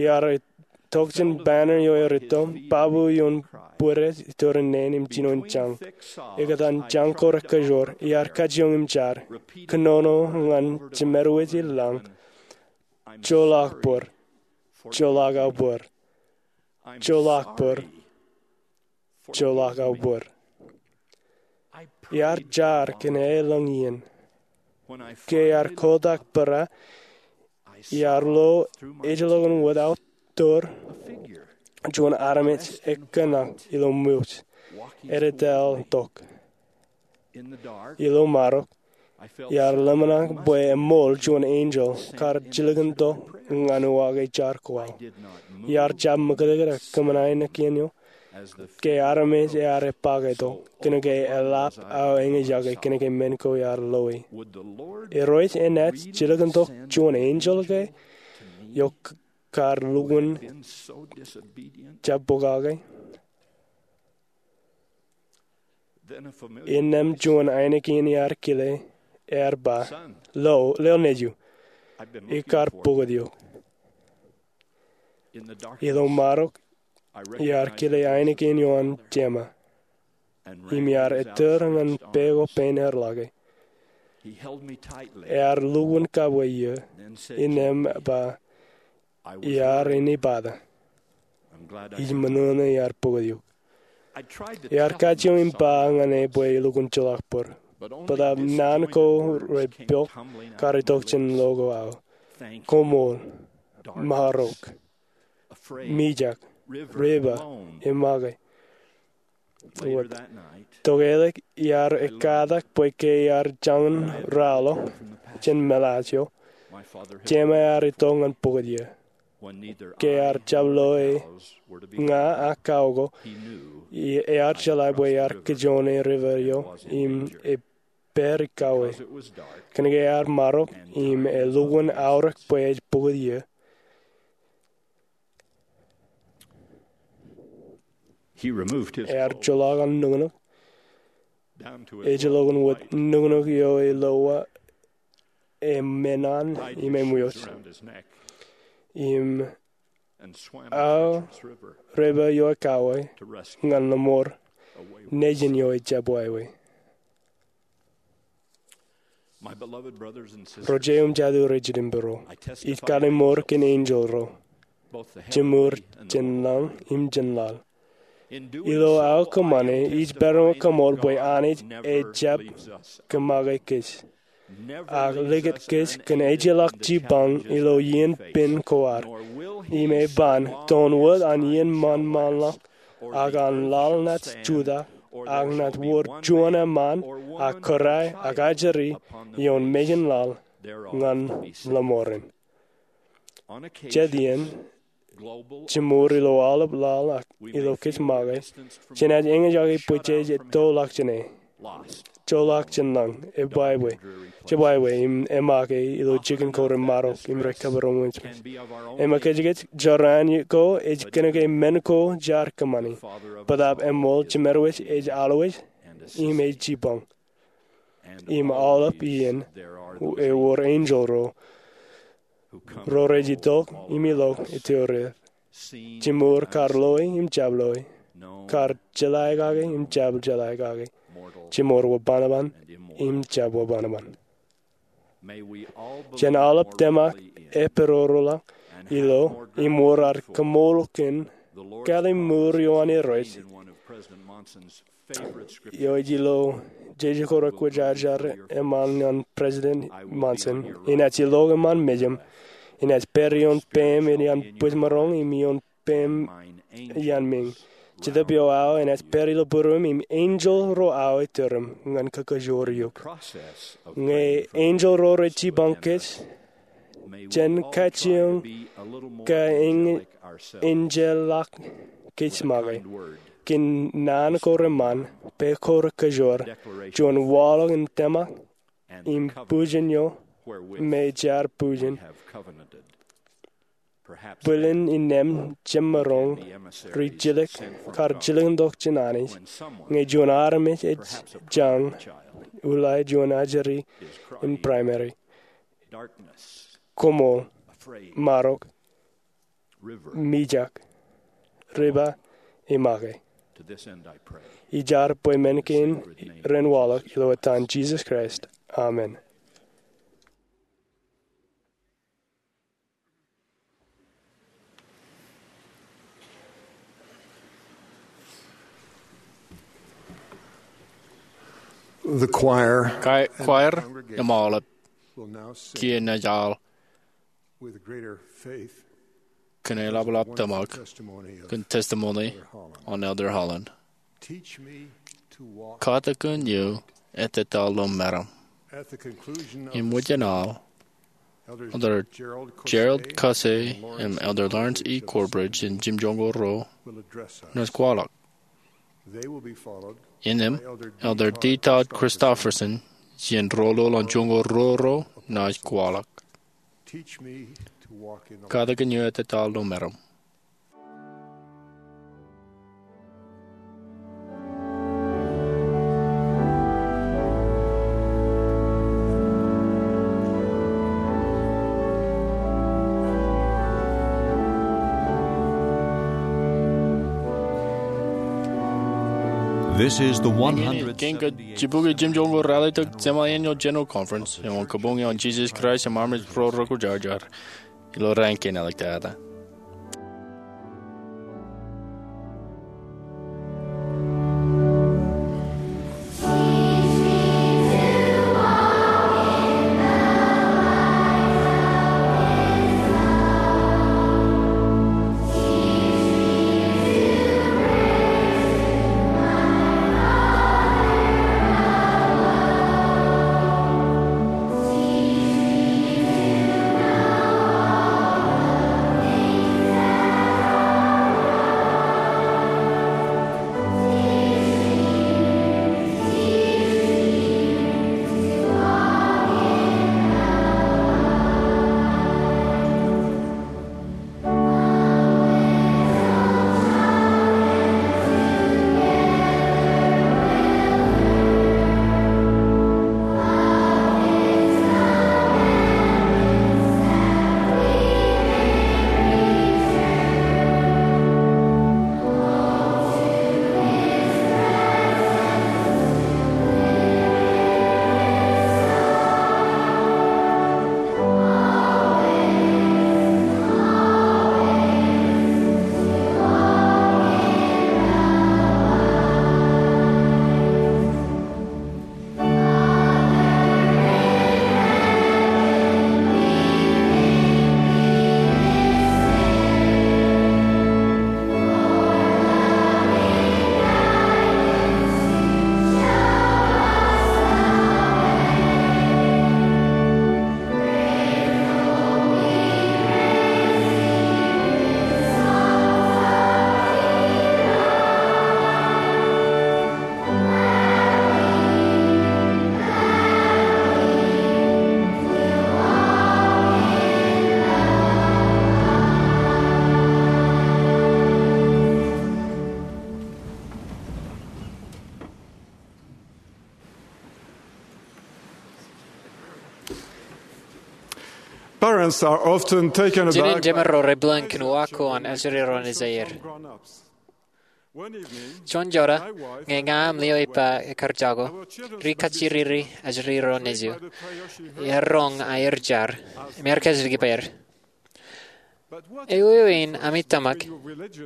Iar itok jān banner eo erūtto, babu ioon bwidej itorin neen im jinoin jañ. Ekōtan jañ ko rekajoor, iar kajjioñ im jar, kōnono ñan jemed wōj i lañ, joḷọk bōd, joḷọk aō bōd, joḷọk bōd, joḷọk aō bōd. Iar jar kōn aelōñ iien. Ke iar kotak bōrā, iar lo ejjeḷọkin wōt aō tōr, juon armej ekkōṇak ilo ṃwij, ededeḷọk tok. Ilo marok, iar ḷōmṇak bwe eṃool juon enjeḷ kar jilkintok ñan uwaak eo jar ko aō. Iar jab ṃōkajkōt kōṃṃan ainikien eo. Ke armej ear epake tok, kōnke eḷap aō eñjake kōnke men ko iar loe. Irooj enaaj jilkintok juon enjeḷ ke eo kar lukkuun jab pokake? Innām juon ainikien iar kile, ear ba, "Lo, leo nejū. Ikar pukot eok." Ilo marok, iar kile ainikien eo an jema, im iar ettōr ñan pā ko pein ear lake. Ear lukkuun kabwe iiō, innām ba, "Iar inepata. Ij ṃōṇōṇō iar pukot eok." Iar kajjioñ im ba ñan e bwe elukkuun joḷọk bōd. Bōtaab naan ko repiọk kar itok jān lo ko aō. "Koṃṃool. Marok. Mijak. River. Emake." Tok ālikin iar ekkatak bwe ke iar jañin ralitōk jān meḷaaj eo, jema ear itok ñan pukot iiō. Ke ear jab lo e, ña ak kao ko, ear jeḷā bwe ear kijoone river eo im epād kauwe. Kōnke ear marok im elukkuun aorōk bwe ej pukot iiō, ear joḷọk an nuknuk, ejjeḷọkin wōt nuknuk eo elowa emenan im eṃwiwōj, im aō river eo ekauwe ñan lọmọọr nejin eo ejjab wāween. Ro jeiū im jatū ro jitōnbōro, ij kalimur kōn enjeḷ ro, jiṃor jān lañ im jān laḷ. Ilo aō kōṃṃane, ij pād iṃōj kaṃool bwe Anij ejjab kōmake kōj, ak likūt kōj kōn ejjeḷọk jipañ ilo iien pen ko ad. Im eban toon wōt an iien ṃaanṃaanḷọk, ak an laḷ naaj jutak, ak naaj wōr juon eṃṃaan, ak kōrā, ak ajri, ioon mejān laḷ, ñan lọmọọren. Jet iien, jiṃor ilo aolep laḷ ak ilo kōj make, jenaaj eñjake bwe jej ettoḷọk jāne. Joḷọk jān lañ, ebwābwe, jebwābwe im emake ilo jikin ko remarok im rekabūroṃōj. Eṃōkajkōj jorrāān ko ej kōnke men ko jaar kōṃṃani. Bōtaab eṃool jemed wōj ej alwōj im ej jipañ. Im aolep iien ewōr enjeḷ ro ro rej itok im ilọk itoireet. Jiṃor kar loe im jab loe, kar jeḷā kake im jab jeḷā kake, jiṃor wōnṃaanṃaan im jab wōnṃaanṃaan. Jen aolep tōmak epidodoḷọk ilo im wōr ad kaṃool kōn kalimur eo an Irooj eo ej ilo jeje ko rekwōjarjar eṃṃan ñan President Monson, inaaj ilọk eṃṃan mejaṃ, inaaj pād ioon peiṃ iaan bwijmaroñ im ioon peiṃ iaan meñ. Jetōb eo aō enaaj pād ilo būruōm im enjeḷ ro aō ej turuṃ ñan kōkōjor eok. Ñe enjeḷ ro rej jipañ kōj, jen kajjioñ kaenjeḷọk kōj make kōn naan ko reṃṃan, pā ko rekōjor, juon waḷọk im tōmak, im bujen eo me jaar bujen. Bōlen innām jemaroñ ri jilkintok jān Anij ñe juon armej ej jañ, uḷae juon ajri in primary. Koṃṃool, marok, mijak, riba, im make. Ij jar bwe men kein ren waḷọk ilo etan Jisōs Kraist. Amen. The choir Kai-, kwaer im aolep kiiō naaj al with greater faith kōn eḷapḷap tōmak testimony kōn testimony on Elder Holland. Teach me to walk. Katakin eō ettā ilo meram. At the conclusion of Im wōj an al, Elder Elder Gerald Caussé Gerald Caussé and Lawrence im Elder Lawrence E. Corbridge in jimjuon ko ruo will address us. Naaj kwaḷọk. They will be followed Innām, by Elder D. Elder D. Todd Todd Christofferson, Christofferson, jān ro ḷọk an juon ko ruo ruo, naaj kwaḷọk. Teach me to walk in the Katakin eō ettā ilo meram. This is the Iñin, one hundred seventy-eighth kein kōj jibukwi jimjuon ko ralitōk Semi-Annual General Conference eo an Kabuñ eo an Jisōs Kraist an Armej Ro Rekwōjarjar ilo raan kein āliktata. Parents are often taken aback. Jinen jemān ro rej bōlen kōn uwaak ko an ajri ro nejāer. Juon jota, ñe ña im lio ippa ekkar jako, ri kajjiriri ajri ro nejū. Iar roñ aer jar, im iar kajjitōk ippa er. Ewi ewi in ami tōmak,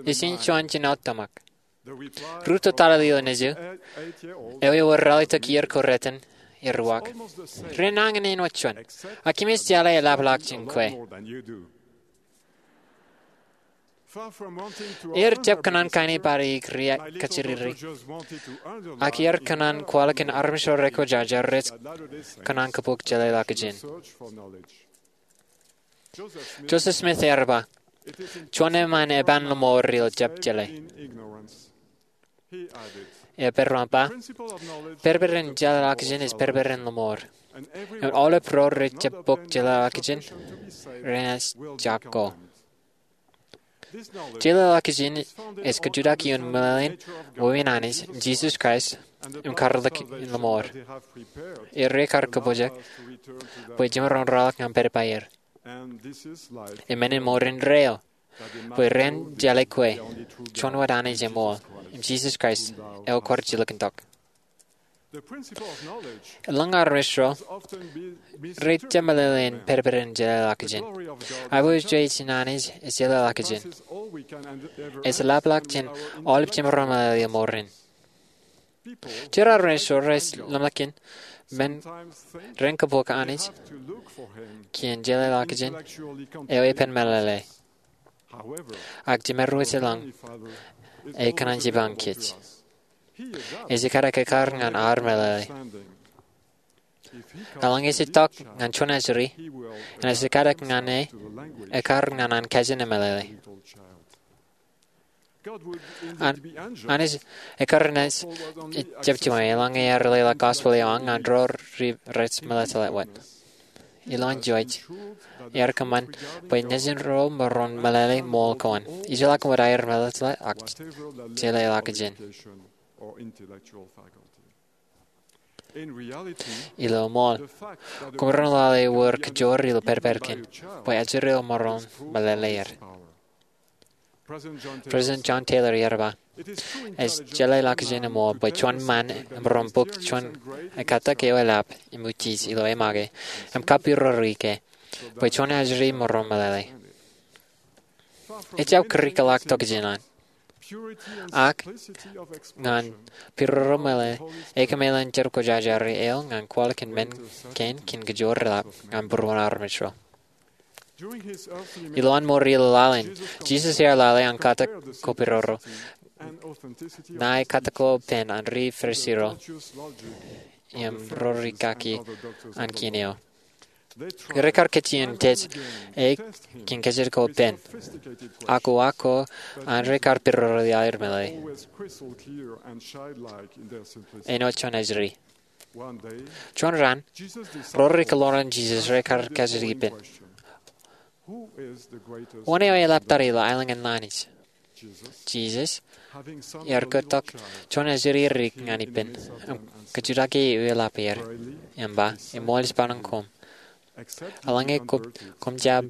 ijin juon jino tōmak. Ruo tōtōl ilo nejū, ewi ewōr ralitōk iiō ko reten, iar uwaak. Renañin āinwōt juon. Ak im ej jeḷā eḷapḷọk jān kwe. Ear jab kōṇaan kain in bar ikri kajjiriri, ak ear kōṇaan kwaḷọk in armej ro rekwōjarjar rej kōṇaan kōpooj jeḷāḷọkjeṇ. Joseph Smith ear ba, juon eṃṃan eban lōṃoor ilo jab jeḷā. Ear peran ba, pedped in jeḷāḷọkjeṇ ej pedped in lōṃoor. Im aolep ro rej jab pooj jeḷāḷọkjeṇ renaaj jako. Jeḷāḷọkjeṇ ej kajutaki ioon meḷeḷein Wāween Anij, Jisōs Kraist, im karreoḷọk in lōṃoor. Ear rekar kōpojak bwe jemaroñ rōḷọk ñan pād ippāer. Im men in mour indeeo, bwe ren jeḷā kwe juon wōt Anij eṃool, im Jisōs Kraist, eo kwaar jilkintok. Eḷaññe armej ro rej jab meḷeḷe in pedped in jeḷāḷọkjeṇ, aiboojoj in Anij ej jeḷāḷọkjeṇ. Ej jeḷāḷọkjeṇ aolep jemaroñ meḷeḷe ilo mour in. Jar armej ro rej lemñan men ren kōpooj Anij kien jeḷāḷọkjeṇ eo epen meḷeḷe. Ak jemaroñ wōt eḷaññe ekōṇaan jipañ kōj. Ej jekdọọn ekkar ñan ad meḷeḷe. Eḷaññe ej itok ñan juon ajri, enaaj jekdọọn ñan e ekkar ñan an kajin emeḷeḷe. An, Anij ekkar enaaj jab jiṃwe eḷaññe ear leḷọk gospel eo an ñan ro rej meḷeḷe wōt. Ilowaan George, ear kōṃṃan bwe nejin ro maroñ meḷeḷe ṃool ko an, ijellọkin wōt aer meḷeḷe ak jeḷāḷọkjeṇ. Ilo ṃool, koṃ maroñ lale wōr kajoor ilo pād ippād kein bwe ajri eo maroñ meḷeḷe er. President John Taylor ear ba, ej jeḷāḷọkjeṇ eṃool bwe juon ṃaan emaroñ bōk juon ekkatak eo elap im utiej ilo emake im kappiroro ke bwe juon ajri maroñ meḷeḷe. Ejjab kūrikḷọk tokjān an. Ak ñan piroro meḷeḷe, ekōmeḷeḷein jar kwōjarjar eo ñan kwaḷọk in men kein kōn kajoor elap ñan būruon armej ro. Ilowaan ṃool ilo laḷ in, Jisōs ear lale an katak ko piroro ñan ekkatak ko pen an ri Farisi ro im ro rikaki an kien eo. Rekar kajjien jej e kōn kajjitōk ko pen, ak uwaak ko an rekar piroro iaḷ er meḷeḷe. Āinwōt juon ajri. Juon raan, ro ri kōḷmānḷọkjeṇ Jisōs rekar kajjitōk ippān, wōn eo eḷaptata ilo aelōñ in laḷ in? Jisōs ear kōttok juon ajri erik ñan ippān im kajjitōk e eḷap er im ba, eṃool ej barāinwōt koṃ. Eḷaññe koṃ jab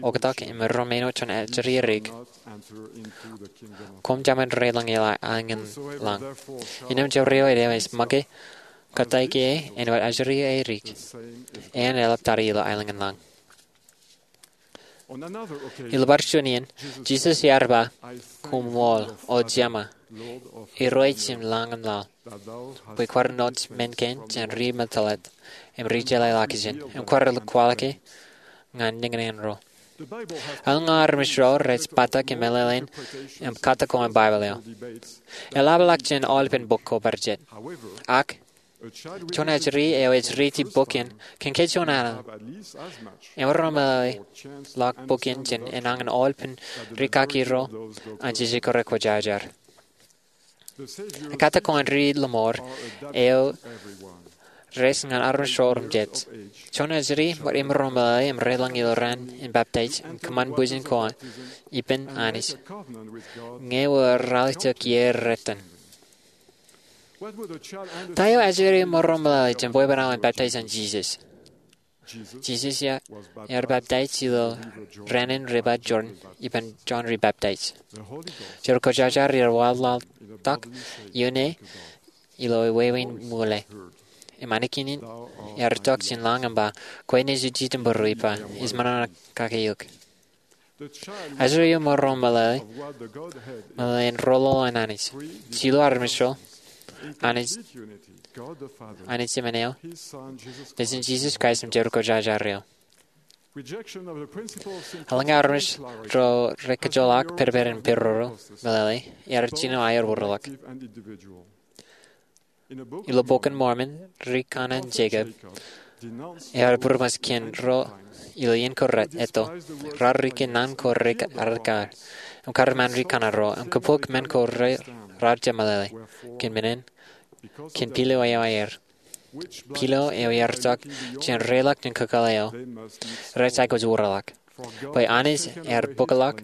oktak im maroñ āinwōt juon ajri erik, koṃ jemaroñ deḷọñ ilo aelōñ in laḷ. Innām jabdewōt eo ej make kōttāik e āinwōt ajri erik, eṇ eḷaptata ilo aelōñ in laḷ. Ilo bar juon iien, Jisōs ear ba, koṃṃool, O Jema, Irooj in lañ im laḷ, bwe kwaar āinwōt men kein jān ri meḷeḷe im ri jeḷāḷọkjeṇ, im kwaar kwaḷọke ñan niñniñ ro. Eḷaññe armej ro rej bōktok im meḷeḷein im katak ko an Baibōḷ eo, eḷapḷọk jān aolepen bok ko bar jet. Ak juon ajri eo ej riiti bok in kōn ke juon alen, emaroñ meḷeḷe ḷọk bok in jān enañin aolepen rikaki ro an jeje ko rekwōjarjar. Ekkatak ko an ri lōṃoor eo rej ñan armej ro otemjej. Juon ajri emaroñ meḷeḷe im deḷọñ ilo raan in baptaij im kōṃṃan bwijin ko an ippān Anij ñe ewōr ralitōk iiō retan. Ta eo ajri eo emaroñ meḷeḷe jān bwebwenato in baptaij an Jisōs? Jisōs ear baptaij ilo raan in River Jordan ippān Jon Ribaptaij. Jar Kwōjarjar ear waḷọktok ioon e ilo wāween ṃwiin. Im anij in ear itok jān lañ im ba, kwe nejū jidim būruō ippa, ij ṃōṇōṇō kake eok. Ajri eo emaroñ meḷeḷe, meḷeḷein roñoul an Anij, jilu armej ro, Anij, Anij Jemān eo, Nejin Jisōs Kraist im Jar Kwōjarjar eo. Eḷaññe armej ro rekōjolọk pedped in peroro meḷeḷe, ear jino aer wōtlọk. Ilo Bok in Mormon, ri kanaan Jekob ear būroṃōs kōn ro ilo iien ko raar etto, raar rikaki naan ko rej arekar, im kar iṃaan ri kanaan ro, im kōpooj men ko raar jab meḷeḷe, kōn men in, kōn pilo eo aer. Pilo eo ear itok jān reiḷọk jān kakōḷḷe eo, rej aikuj wōtlọk. Bwe Anij ear bōkḷọk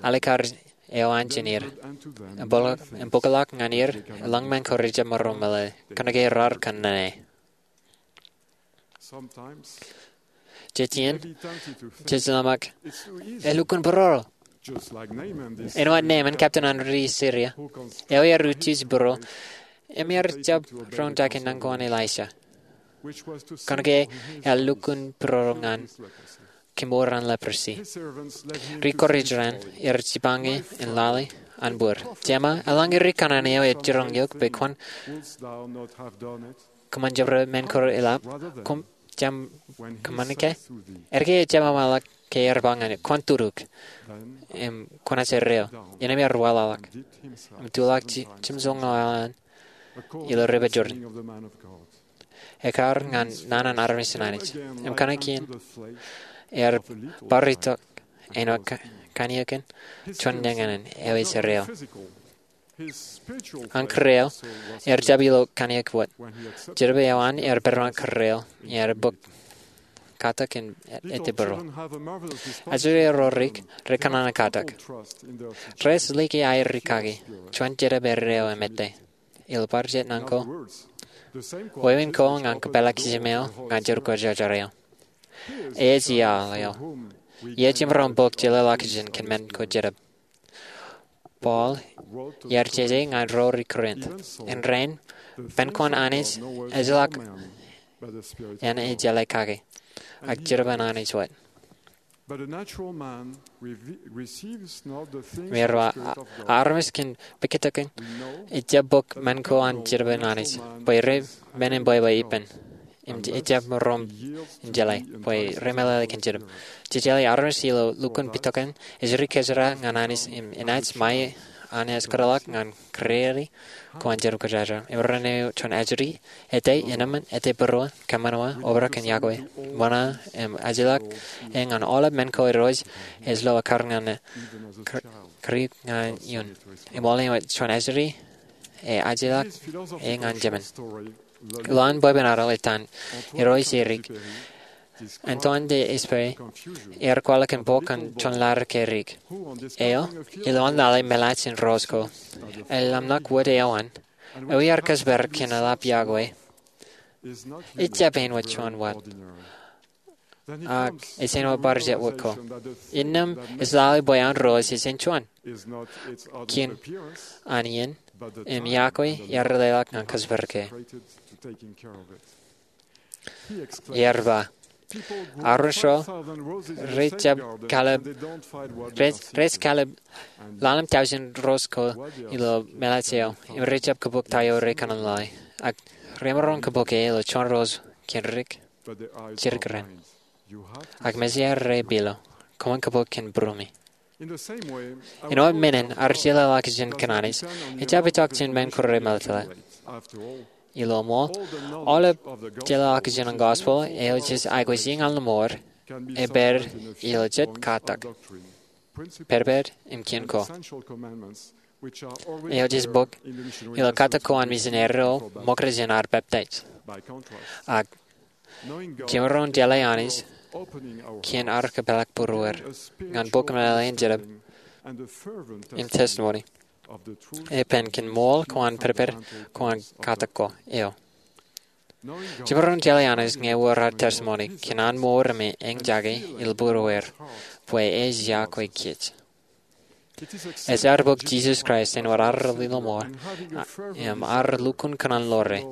alikar eo an jān er, im bōkḷọk ñan er, eḷaññe men ko rej jab maroñ meḷeḷe, kōnke raar kōnono e. Jej iien, jej ḷōmṇak, elukkuun peroro. Āinwōt Naaman, captain an ri Siria, eo ear utiej būro, im ear jab roñjake naan ko an Elaija, kōnke ear lukkuun peroro ñan kemour an leprosy. Ri kōrā eo an ear jipañ e in lale an bōd. Jema, eḷaññe ri kanaan eo ej jiroñ eok bwe kwōn kōṃṃan jabdewōt men ko eḷap, kwōn jab kōṃṃan ke? Erkein ejjab ṃōṃaḷọk ke ear ba ñan e, kwōn tutuk im kwōnaaj erreo. Innām ear waḷọk im tuḷọk jimjuonñoul aolep ilo River Jordan, ekkar ñan naan an armej in Anij. Im kōnke ear bar itok āinwōt kōn, kōn eok in, juon eñin eo ej erreo. An kōrā eo ear jab ilo kōn eok wōt. Jedpān eo an ear pedpaañ kōrā eo, ear bōk katak in ettā būro. Ajri eo ro rik rekōṇaan katak. Rej liki aer rikaki juon jedpān erreo im ettā, ilo bar jet naan ko, wāween ko ñan kōpeḷḷọk jimeaer ñan Jedpān Kwōjarjar eo. Ej iaḷ eo. Ej jemaroñ bōk jeḷāḷọkjeṇ kōn men ko jedpān. Paul ear jeje ñan ro ri Korint, in rainin, pen ko an Anij ejjeḷọk, en ejjeḷā kake, ak jedpān Anij wōt. Im ear ba, armej kōn pukotkin ejjab bōk men ko an jedpān Anij, bwe rej men in bwebwe ippān. Im ejjab maroñ in jeḷā bwe rej meḷeḷe kōn jedpān. Jej jeḷā armej ilo lukkuun pukotkin ej ri kōjeraaṃṃan ñan Anij im enaaj ṃae an ej kōtḷọk ñan kōrā ko an Jedpān Kwōjarjar. Im ren eo juon ajri, ettā, innām, ettā būruon, kōṃṃan wōt, obrak in yokwe, ṃōṇōṇō, im ajjeḷọk e ñan aolep men ko irooj ej lo ekkar ñan e, kōrā, kōrā ñan iuṃwin. Im āinwōt juon ajri, ej ajjeḷọk e ñan jemān. Ilo an bwebwenato etan, irooj erik, Antoine de Exupéry, ear kwaḷọk kōn bok an juon ḷadik erik. Eo, ilowaan lale meḷaaj in ros ko, eḷap ṇak wōt eo an, eo ear kōjparok kōn eḷap yokwe, ejjab āinwōt juon wōt. Ak ej āinwōt bar jet wōt ko. Innām ej lale bwe an ros ej juon. Kōn an iien, im yokwe ear leḷọk ñan kōjparok e. Ear ba, armej ro rej jab kalōb, rej, rej kalōb ḷalem tọujin ros ko ilo meḷaaj eo, im rej jab kōpooj ta eo rekōṇaan lale. Ak remaroñ kōpooj e ilo juon ros kōn rik jidik ren. Ak mejeir rej pilo, koṃwin kōpooj kōn būrumi. Āinwōt men in ad jeḷāḷọkjeṇ kōn Anij, ejjab itok jān men ko remeḷeḷe. Ilo ṃool, aolep jeḷāḷọkjeṇ an gospel eo jej aikuj iññā ḷọk mour, ej pād ilo jet katak, pedped im kien ko, eo jej bōk ilo katak ko an misineri ro ṃokta jān ad peptaij. Ak jemaroñ jeḷā Anij kōn ad kōpeḷḷọk būrueir ñan bok meḷeḷe in jedpān im testimoni, epen kōn ṃool ko an pedped ko an katak ko eo. Jemaroñ jeḷā Anij ñe ewōr ad testimoni kōn an mour im eñjake ilo būrueir bwe ej yokwe kōj. Ej ad bōk Jisōs Kraist āinwōt ad lilo ṃool, a, im ad lukkuun kōṇaan ḷoor e.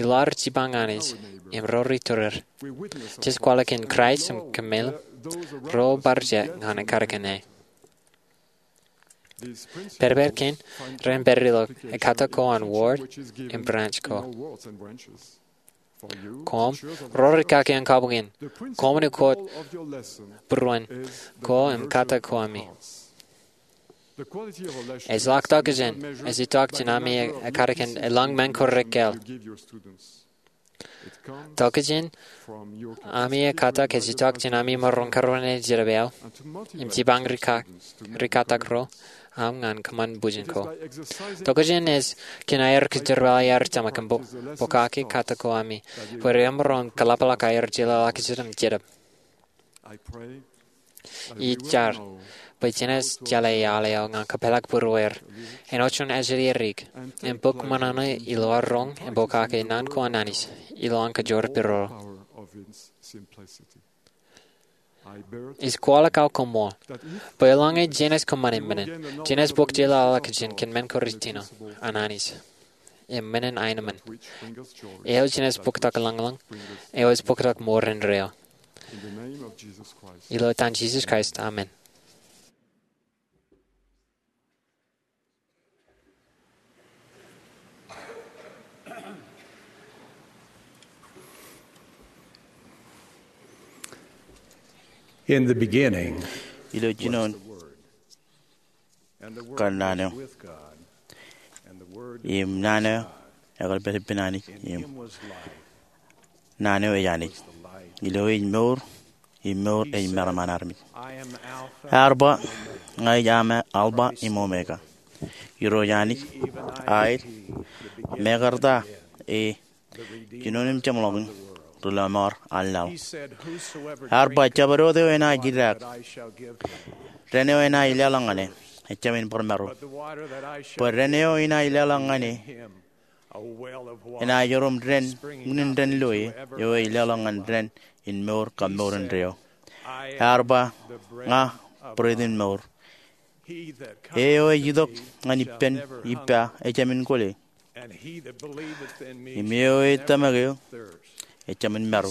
Ilo ad jipañ Anij im ro ri tureir, jej kwaḷọk kōn Kraist im kōmeḷeḷe ro bar jet ñan ekkar kōn e. Pedped kein ren pād ilo katak ko an ward im branch ko. Koṃ ro ri kaki in kabukwi in, koṃ ukot būruon ko im katak ko ami. Ej ḷak tokjān, ej itok jān ami ekadikdik in elōñ men ko rekāāl. Tokjān ami ekkatak ej itok jān ami maroñ kōrā in jerbal im jipañ ri katak ro aṃ ñan kōṃṃan bwijin ko. Tokjān ej kōn aer kōjerbali aer tōmak im pokake katak ko ami bwe remaroñ kōḷapḷọk aer jeḷāḷọkjeṇ im jedep. Ij jar bwe jenaaj jeḷā iaḷ eo ñan kōpeḷḷọk būrueir āinwōt juon ajri edik im bōk ṃōṇōṇō ilo aer roñ im pokake naan ko an Anij ilo an kōjor piroḷ. Ij kwaḷọk aō koṃṃool bwe eḷaññe jenaaj kōṃṃane men in, jenaaj bōk jeḷāḷọkjeṇ kōn men ko rej jino an Anij im men in aenōṃṃan eo. Jenaaj bōktok lañlōñ eo ej bōktok mour indeeo. Ilo etan Jisōs Kraist, amen. In the beginning, ilo jinoin kar naan eo, im naan eo ekar pād ippān Anij, im naan eo ej Anij. Ilo ej mour, im mour ej meram an armej. Ear ba, ña ij Alpha im Omega, Irooj Anij, aet, mekarta, e jinoin im jeṃḷọkin, ri lọmọọr an laḷ. Ear ba, jabdewōt eo enaaj idaak, dān eo enaaj leḷọk ñan e, ejāmin bar maro. Bwe dān eo enaaj leḷọk ñan e enaaj erom dān unin dān loe eo ej leḷọk ñan dān in mour kab mour indeeo. Ear ba, ña bread in mour. E eo ej itok ñan ippān ippa ejāmin kwōle. Im e eo ej tōmak eō ejāmin maro.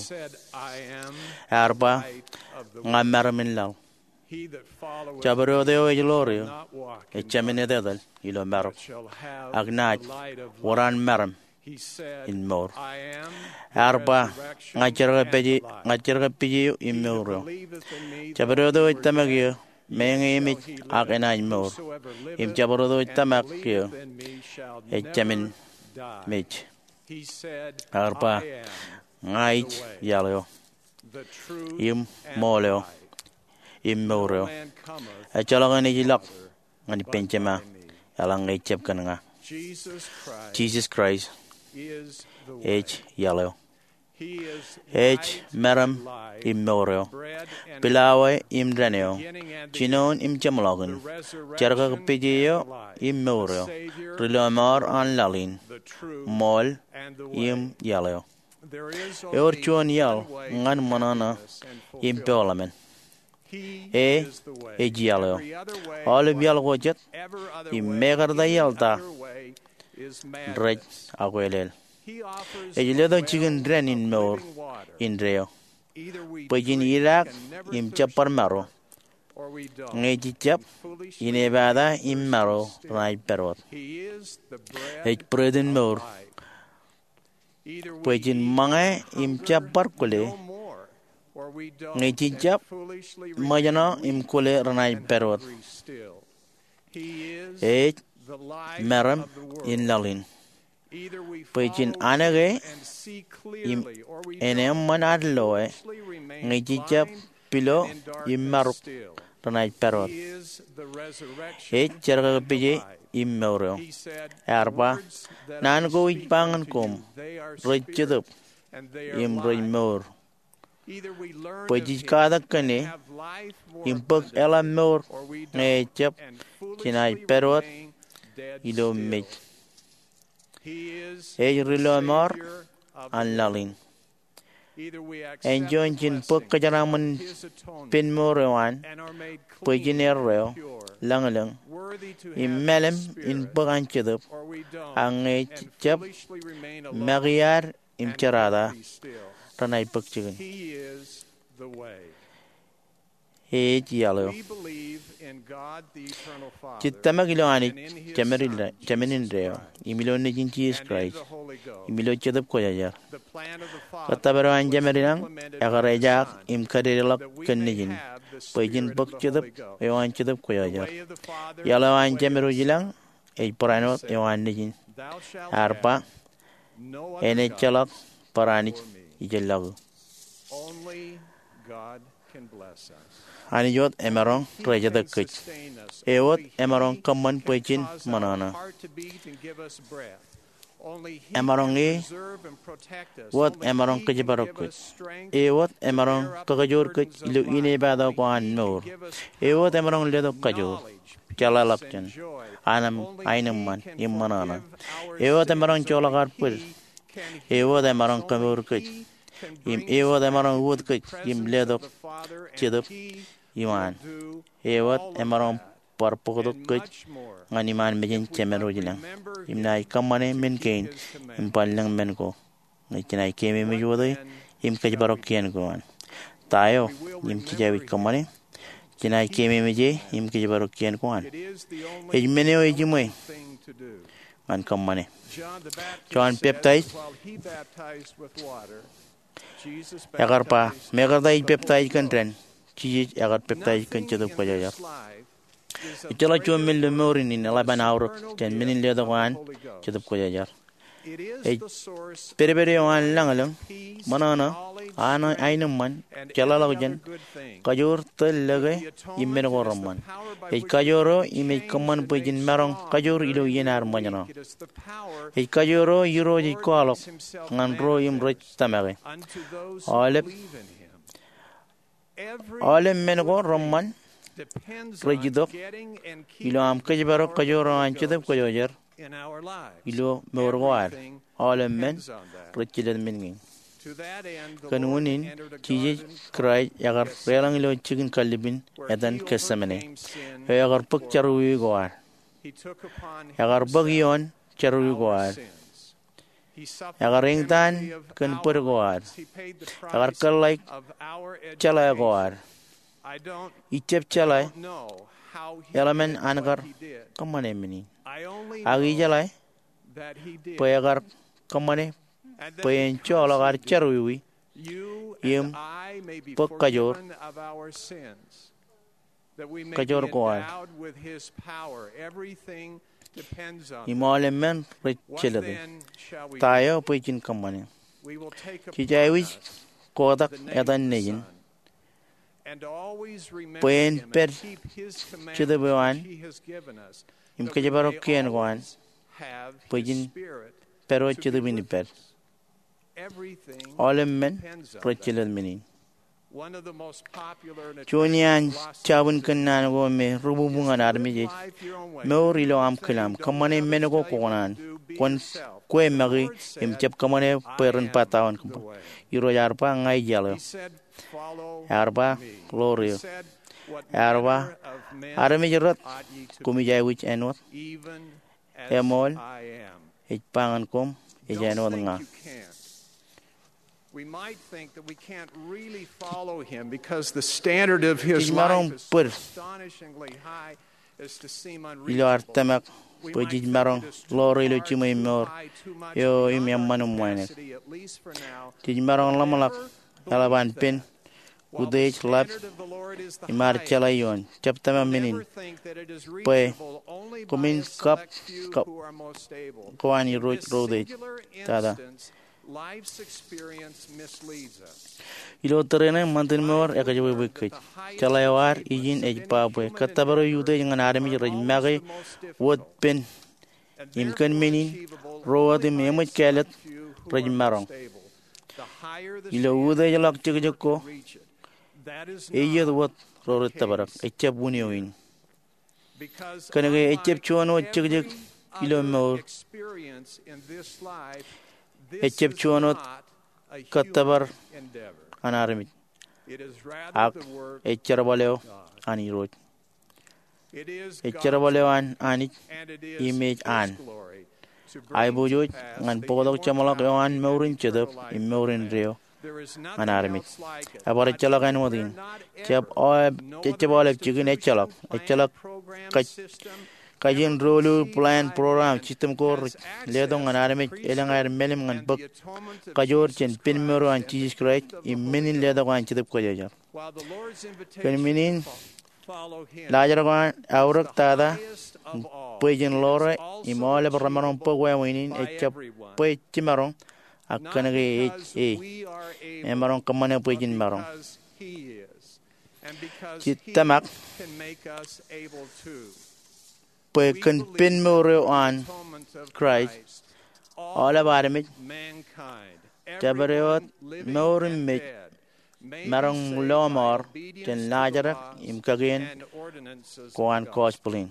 Ear ba, ña meram in laḷ. Jabdewōt eo ej ḷoor eō ejāmin etetal ilo marok, ak naaj wōr an meram in mour. Ear ba, ña jerkakpeje eo im mour eo. Jabdewōt eo ej tōmak eō, meñe emej ak enaaj mour. Im jabdewōt eo ej tōmak eō ejāmin mej. Ear ba, ña ij iaḷ eo, im ṃool eo, im mour eo. Ejjeḷọk eṇ ej ilọk ñan ippān Jema eḷaññe ejjab kōn ña. Jisōs Kraist ej iaḷ eo. Ej meram im mour eo, pilawā im dān eo, jinoin im jeṃḷọkin, jerkakpeje eo im mour eo, ri lọmọọr an laḷ in, ṃool im iaḷ eo. Ewōr juon iaḷ ñan ṃōṇōṇō im peeḷ emān. E ej iaḷ eo. Aolep iaḷ ko jet im mekarta iaḷ ta rej akweḷeḷ. Ej letok jikin dān in mour indeeo bwe jen idaak im jab bar maro, ñe jej jab, inepata im maro renaaj pād wōt. Ej bread in mour bwe jen ṃōñā im jab bar kwōle, ñe jej jab, ṃōjṇọ im kwōle renaaj pād wōt. Ej meram in laḷ in bwe jen anōk e im en eṃṃan ad lo e, ñe jej jab pilo im marok renaaj pād wōt. Ej jerkakpeje im mour eo. Ear ba, naan ko ij ba ñan koṃ, rej jetōb im rej mour, bwe jej katak kōn e im bōk eḷap mour ñe ejjab, jenaaj pād wōt ilo mej. Ej ri lọmọọr an laḷ in. Enjoin jen bōk kōjeraaṃṃan pen mour eo an bwe jen erreo, lañlōñ, im mālim in bōk an Jetōb, ak ñe jej jab, make iar im jerata renaaj bōk jikin. Ej iaḷ eo. Jej tōmak ilo Anij Jemān indeeo, im ilo Nejin Jisōs Kraist, im ilo Jetōb Kwōjarjar. Kōttōpar eo an Jemedwōj ilañ ekar ejaak im kadedeḷọk kōn Nejin bwe ijin bōk Jetōb eo an Jetōb Kwōjarjar. Iaḷ eo an Jemedwōj ilañ ej barāinwōt eo an Nejin. Ear ba, en ejjeḷọk barāinij ijellọku. Anij wōt emaroñ rejetōk kōj. E wōt emaroñ kōṃṃan bwe jen ṃōṇōṇō. Emaroñ e wōt emaroñ kōjparok kōj. E wōt emaroñ kakajoor kōj ilo ineepato ko an mour. E wōt emaroñ letok kajoor, jeḷāḷọkjeṇ, aenōṃṃan im ṃōṇōṇō. E wōt emaroñ joḷọk ad bōd. E wōt emaroñ kemour kōj. Im e wōt emaroñ uwōt kōj im letok Jetōb iṃaan. E wōt emaroñ bar bōktok kōj ñan iṃaan mejān Jemedwōj ilañ. Im naaj kōṃṃane men kein im bar lōñ men ko. Ñe jenaaj keememej wōt e im kōjparok kien ko an. Ta eo im jej aikuj kōṃṃane? Jenaaj keememej e im kōjparok kien ko an. Ej men eo ejiṃwe ñan kōṃṃane. Jon Peptaij ekar ba, mekarta ij peptaij kōn dān, Jisōs ekar peptaij kōn Jetōb Kwōjarjar. Ejjeḷọk juon men ilo mour in eḷap an aorōk jān men in letok an Jetōb Kwōjarjar. Ej pedped eo an lañlōñ, ṃōṇōṇō, aenōṃṃan, jeḷāḷọkjeṇ, kajoor, tōl, lōke, im men ko reṃṃan. Ej kajoor eo im ej kōṃṃan bwe jen maroñ kajoor ilo iien ad ṃōjṇọ. Ej kajoor eo Irooj ej kwaḷọk ñan ro im rej tōmake. Aolep Aolep men ko reṃṃan rej itok ilo aṃ kōjparok kajoor eo an Jetōb Kwōjarjar ilo mour ko ad. Aolep men rej jelōt men kein. Kōn unin, Jisōs Kraist ekar deḷọñ ilo jikin kallib in etan Getsemane, eo ekar bōk jerọwiwi ko ad. Ekar bōk ioon jerọwiwi ko ad. Ekar eñtaan kōn bōd ko ad. Ekar kōḷḷāik jeḷā ko ad. Ij jab jeḷā eḷaññe an kar kōṃṃane men in. Ak ijeḷā bwe ekar kōṃṃane bwe en joḷọk ad jerọwiwi im bōk kajoor kajoor ko ad. Im aolep men rej jelōte. Ta eo bwe jen kōṃṃane? Jej aikuj kotak etan Nejin bwe en pād Jetōb eo an im kōjparok kien ko an bwe jen pād wōt Jetōb in ippād. Aolep men rej jelōt men in. Juon iaan jabwin kōnnaan ko me rububu ñan armej ej mour ilo aṃ kilaṃ. Kōṃṃane men ko kwōkōṇaan. Kwōn kwe make im jab kōṃṃane bwe ren ba ta wōt kōṃṃan. Irooj ear ba, ña ij iaḷ eo. Ear ba, ḷoor eō. Ear ba, armej rot koṃij aikuj āinwōt. Eṃool, ej ba ñan koṃ, ej āinwōt ña. Jej maroñ bōd ilo ad tōmak bwe jej maroñ ḷoor e ilo jiṃwe im mour eo im eṃṃan im wānōk. Jej maroñ ḷōmṇak eḷap an pen utiej ḷap im ad jeḷā ioon. Jab tōmak men in bwe koṃwin kab ko an Irooj ro utiej tata. Ilo tōre ṇe ṃantin mour ekajebwebwe kōj. Jeḷā eo ad ijin ej ba bwe kōttōpar eo utiej ñan armej rej make wōt pen im kōn men in ro wōt im eṃōj kāālōt rej maroñ. Ilo utiejḷọk jekjek ko, eiiet wōt ro rej tōprak, ejjab wūn eo in. Kōnke ejjab juon wōt jekjek ilo mour, ejjab juon wōt kōttōpar an armej, ak ej jerbal eo an Irooj. Ej jerbal eo an Anij im ej an aiboojoj ñan bōktok jeṃḷọk eo an mour in Jetōb im mour indeeo ñan armej. Ebar ejjeḷọk āinwōt in. Jab aolep, jab aolep jikin ejjeḷọk. Ejjeḷọk kaj, kajin doulul plan program system ko rej letok ñan armej elōñ aer melem ñan bōk kajoor jān pen mour eo an Jisōs Kraist im men in letok an Jetōb Kwōjarjar. Kōn men in, laajrak eo an aorōk tata bwe jen ḷoore im aolep remaroñ bōk wāween in ejjab bwe jimaroñ, ak kōnke ej e. Emaroñ kōṃṃane bwe jen maroñ. Jej tōmak bwe kōn pen mour eo an Kraist, aolep armej, jabdewōt, mour im mej, maroñ lọmọọr jān laajrak im kakien ko an gospel in.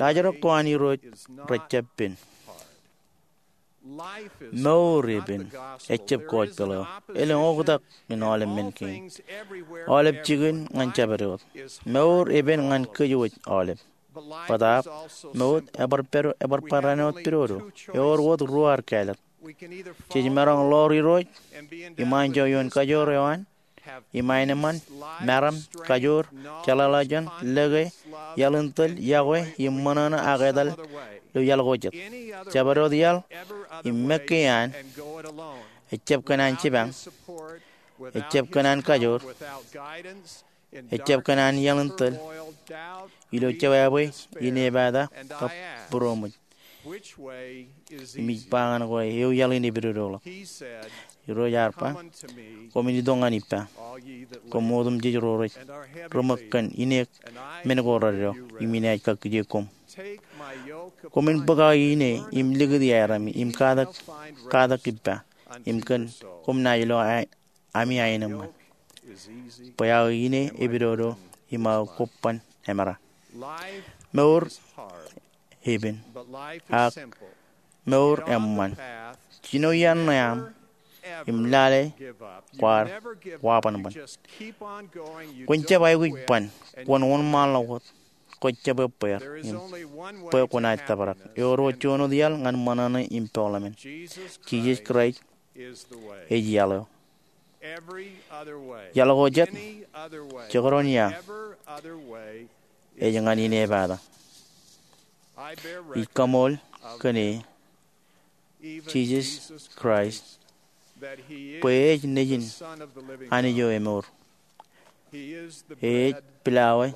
Laajrak ko an Irooj rejjab pen. Mour epen, ejjab gospel eo. Elōñ oktak in aolep men kein. Aolep jikin ñan jabdewōt. Mour epen ñan kōjwōj aolep. Bōtaab, mour ebar pād, ebar barāinwōt pedodo. Ewōr wōt ruo ar kāālōt. Jej maroñ ḷoor Irooj im anjọ ioon kajoor eo an, im aenōṃṃan, meram, kajoor, jeḷāḷọkjeṇ, lōke, iaḷ in tōl, yokwe, im ṃōṇōṇō ak etal ilo iaḷ ko jet. Jabdewōt iaḷ im mekkā an ejjab kōn an jipañ, ejjab kōn an kajoor, ejjab kōn an iaḷ in tōl, ilo jewābwe, inepata, kab būroṃōj. Im ij ba ñan kwe, ewi iaḷ in epidodoḷọk? Irooj ear ba, koṃwin itok ñan ippa, koṃ otemjej ro rej ri ṃōk kōn ineek men ko reddo, im inaaj kakkije koṃ. Koṃwin bōk aō ine im likūti aerami im katak, katak ippa, im kōn koṃ naaj lo a ami aenōṃṃan. Bwe aō ine epidodo im aō kobban emera. Mour epen, ak mour eṃṃan. Jino iien ṇe aṃ im lale kwaar wabanban. Kwōn jab aikuj ban, kwōn wōnṃaanḷọk wōt, kwōj jab ebbeer im bwe kwōnaaj tōprak. Ewōr wōt juon wōt iaḷ ñan ṃōṇōṇō im peḷḷọk men. Jisōs Kraist ej iaḷ eo. Iaḷ ko jet, jekdọọn ia, ej ñan inepata. Ij kaṃool kōn e, Jisōs Kraist, bwe ej Nejin Anij eo emour. Ej pilawā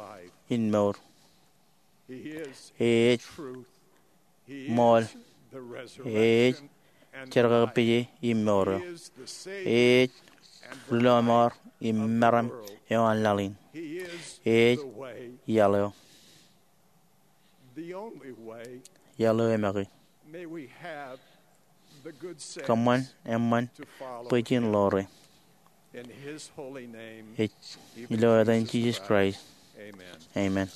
in mour. Ej ṃool. Ej jerkakpeje im mour eo. Ej ri lọmọọr im meram eo an laḷ in. Ej iaḷ eo. Iaḷ eo emake. Kōṃṃan eṃṃan bwe jen ḷoore. Ej ilo etan Jisōs Kraist. Amen.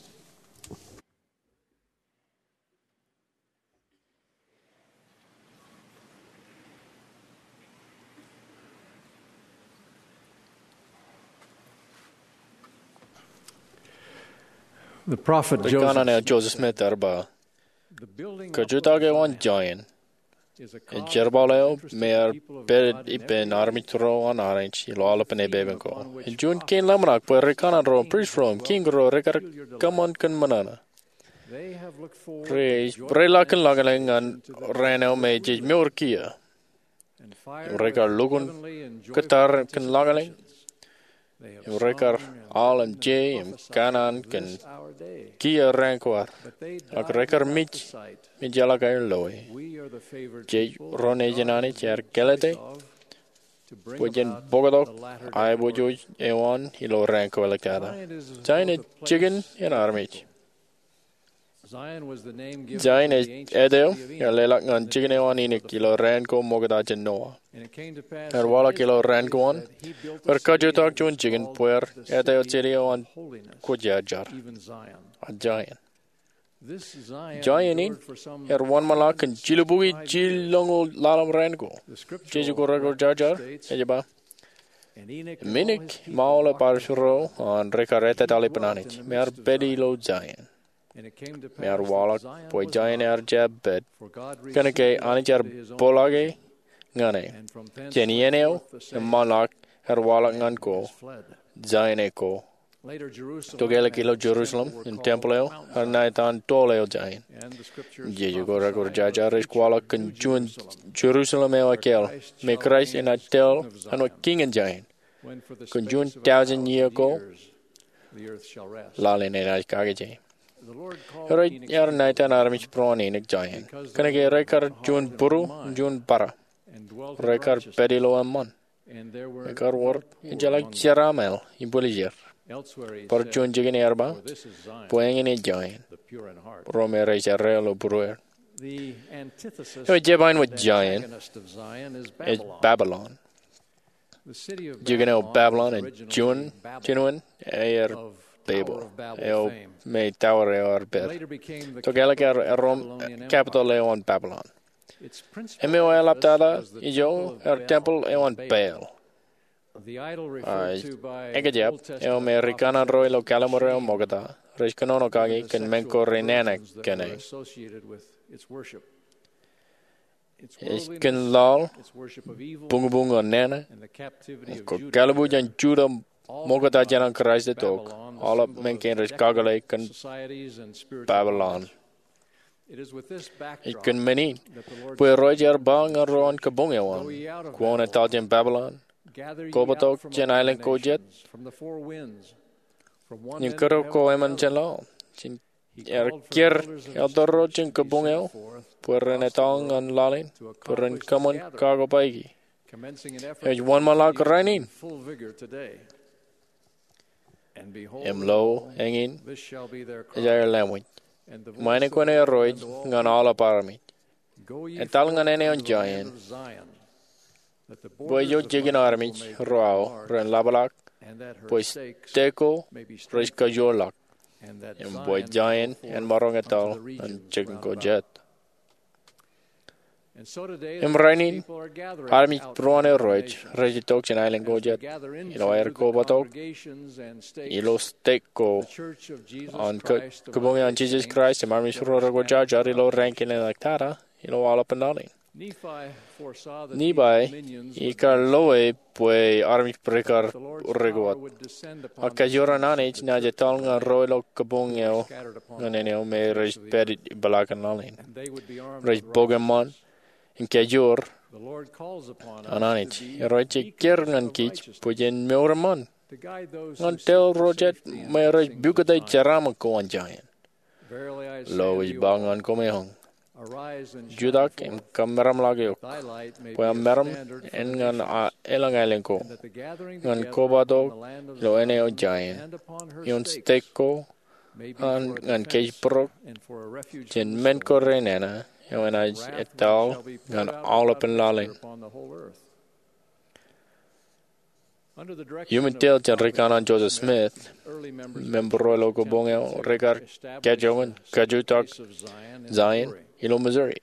The prophet Joseph Smith ear ba, kajutake eo an giant ej jerbal eo me ear pād ippān armej ro an Anij ilo aolepān epepen ko. Ej juon kein ḷōmṇak bwe ri kanaan ro, prist ro, kiiñ ro rekar kōṃṃan kōn ṃōṇōṇō. Rej, rej lak kōn lañlōñ ñan raan eo me jej mour kiiō. Im rekar lukkuun kōttar kōn lañlōñ. Im rekar al im je im kanaan kōn kiiō raan ko ad. Ak rekar mej, mej jeḷā ke loe. Jej ro nejin Anij ear kālōte bwe jen bōktok aiboojoj eo an ilo raan ko āliktata. Zion ej jikin in armej. Zion ej āt eo ear leḷọk ñan jikin eo an Inik ilo raan ko ṃokta jān Noah. Ear waḷọk ilo raan ko an, bwe ear kajutọk juon jikin bwe ear āt eo jeje eo an kwōjarjar, Zion. Zion in ear wōnṃaanḷọk kōn jilubukwi jilñoul ḷalem raan ko. Jeje ko rekwōjarjar ej ba, im Inik im aolep armej ro an rekar ettetaḷ ippān Anij, me ear pād ilo Zion. Im ear waḷọk bwe Zion ear jab pād, kōnke Anij ear poḷaake ñan e. Jān iien eo eṃṃanḷọk ear waḷọk ñan ko, Zion e ko. Tokālik ilo Jerusalem im tempeḷ eo ear ṇa etan toḷ eo giant. Im jeje ko rekorjaaja rej kwaḷọk kōn juon Jerusalem eo ekkāāl me Kraist enaaj tōl āinwōt kiiñ in giant. Kōn juon tọujin iiō ko laḷ in enaaj kakije. Irooj ear ṇa etan armej būruon in giant kōnke rekar juon būru im juon bōrā. Rekar pād ilo eṃṃan. Im ekar wōr ejjeḷọk jeraaṃṃan im bwiljier. Bar juon jikin ear ba, bwe eñin ej giant, ro me rej erreo ilo būrueir. Eo ej jab āinwōt giant ej Babilon. Jikin eo Babilon ej juon jinoin aer Babel eo me tower eo ear pād. Tokālik ear erom capital eo an Babilon. Im eo eḷaptata ijo ear tempeḷ eo an Baal. Ej ekjab eo me ri kanaan ro ilo Kalliṃur eo Ṃokta rej kōnono kaki kōn men ko renana kōn e. Ej kōn laḷ, buñbuñ eo nana, im kōkālbuuj an Juda Ṃokta jān an Kraist etok, aolep men kein rej kakōḷḷe kōn Babilon. Ej kōn men in bwe Irooj ear ba ñan ro an kabuñ eo an, kwōn etal jān Babilon, kobōtok jān aelōñ ko jet, im kōdọ ko emān jān laḷ. Im ear kiiō elder ro jān kabuñ eo bwe ren etal ñan laḷ in bwe ren kōṃṃan kakobaiki. Ej wōnṃaanḷọk rainin. Im lo, eñin ej aer lāmwōj, im āinwōt Irooj ñan aolep armej, etal ñan āne eo giant, bwe ijo jikin armej ro aō ren ḷapḷọk, bwe stek ko rej kajoorḷọk, im bwe giant en maroñ etal ñan jikin ko jet. Im rainin, armej būruon Irooj rej itok jān aelōñ ko jet ilo aer kobōtok ilo stek ko an Kabuñ eo an Jisōs Kraist im Armej ro rekwōjarjar ilo raan kein eo eḷap tata ilo aolepān laḷ in. Nephi ikar loe bwe armej rej kar ri wōt. Ak kajoor an Anij enaaj etal ñan ro ilo kabuñ eo ñan āne eo me rej pād ipeḷaakin laḷ in. Rej bok eṃṃan im kajoor an Anij. Irooj ej kiiō ñan kij bwe jen mour eṃṃan ñan tōl ro jet me rej pukot jeraaṃṃan ko an giant. Lo ij ba ñan koṃeañ, jutak im kamaroñḷọk eok, bwe aṃ maroñ en ñan elōñ aelōñ ko, ñan kobōtok ilo āne eo giant, ioon stek ko, an ñan kōjparok jān men ko renana eo enaaj etal ñan aolepān laḷ in. Iuṃwin tōl jān ri kanaan Joseph Smith, member ro ilo kabuñ eo rekar kajjojo im kajutak Zion ilo Missouri.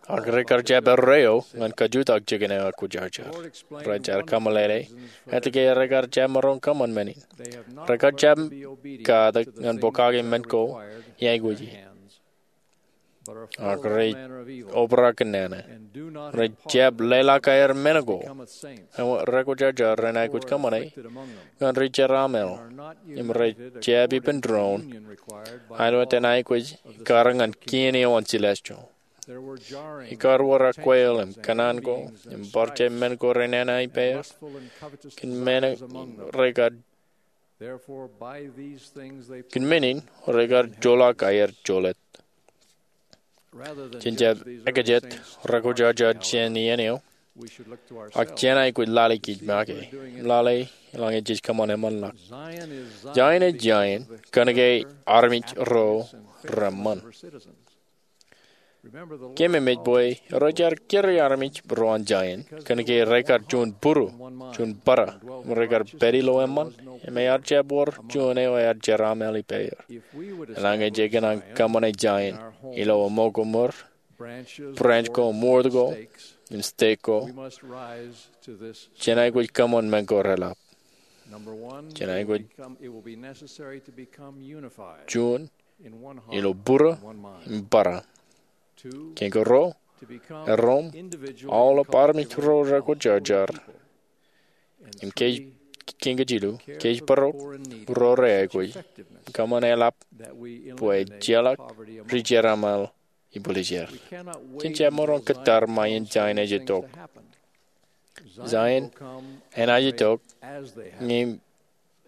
Ak rekar jab erreo ñan kajutak jikin eo ekwōjarjar. Rej ar kōmeḷeḷe etke rekar jab maroñ kōṃṃan men in. Rekar jab katak ñan pokake men ko iaikuji. Ak rej obrak kōn nana. Rej jab leḷọk aer men ko. Im rekwōjarjar ren aikuj kōṃṃane ñan ri jeraaṃṃan. Im rej jab ippān doon aelōñ in aikuj ekkar ñan kien eo an celestial. Ikar wōr akwāāl im kōṇaan ko im bar jab men ko renana ippāer. Kōn men rekar Kōn men in rekar joḷọk aer jolōt. Jen jab ekajet rekwōjarjar jān iien eo, ak jen aikuj lale kij make, lale eḷaññe jej kōṃṃan eṃṃanḷọk. Zion ej Zion kōnke armej ro reṃṃan. Keememej bwe Irooj ear kūr armej ro an Zion kōnke rekar juon būru, juon bōra, im rekar pād ilo eṃṃan, im ear jab wōr juon eo ear jeraaṃṃan ippāer. Eḷaññe jej kōṇaan kōṃṃane Zion ilo ṃōko ṃōr, branch ko im wōr ko, im stek ko, jen aikuj kōṃṃan men ko reḷap. Jen aikuj juon ilo būru im bōra. Kein ko ruo, erom aolep armej ro rekwōjarjar im kōj kōn kōj jilu, kōj bōro ro reaikuj, kōṃṃan eḷap bwe ejjeḷọk ri-jeraṃṃan ibwiljir. Jen jab maroñ kōttar ṃae in Zion ej itok. Zion enaaj itok ñe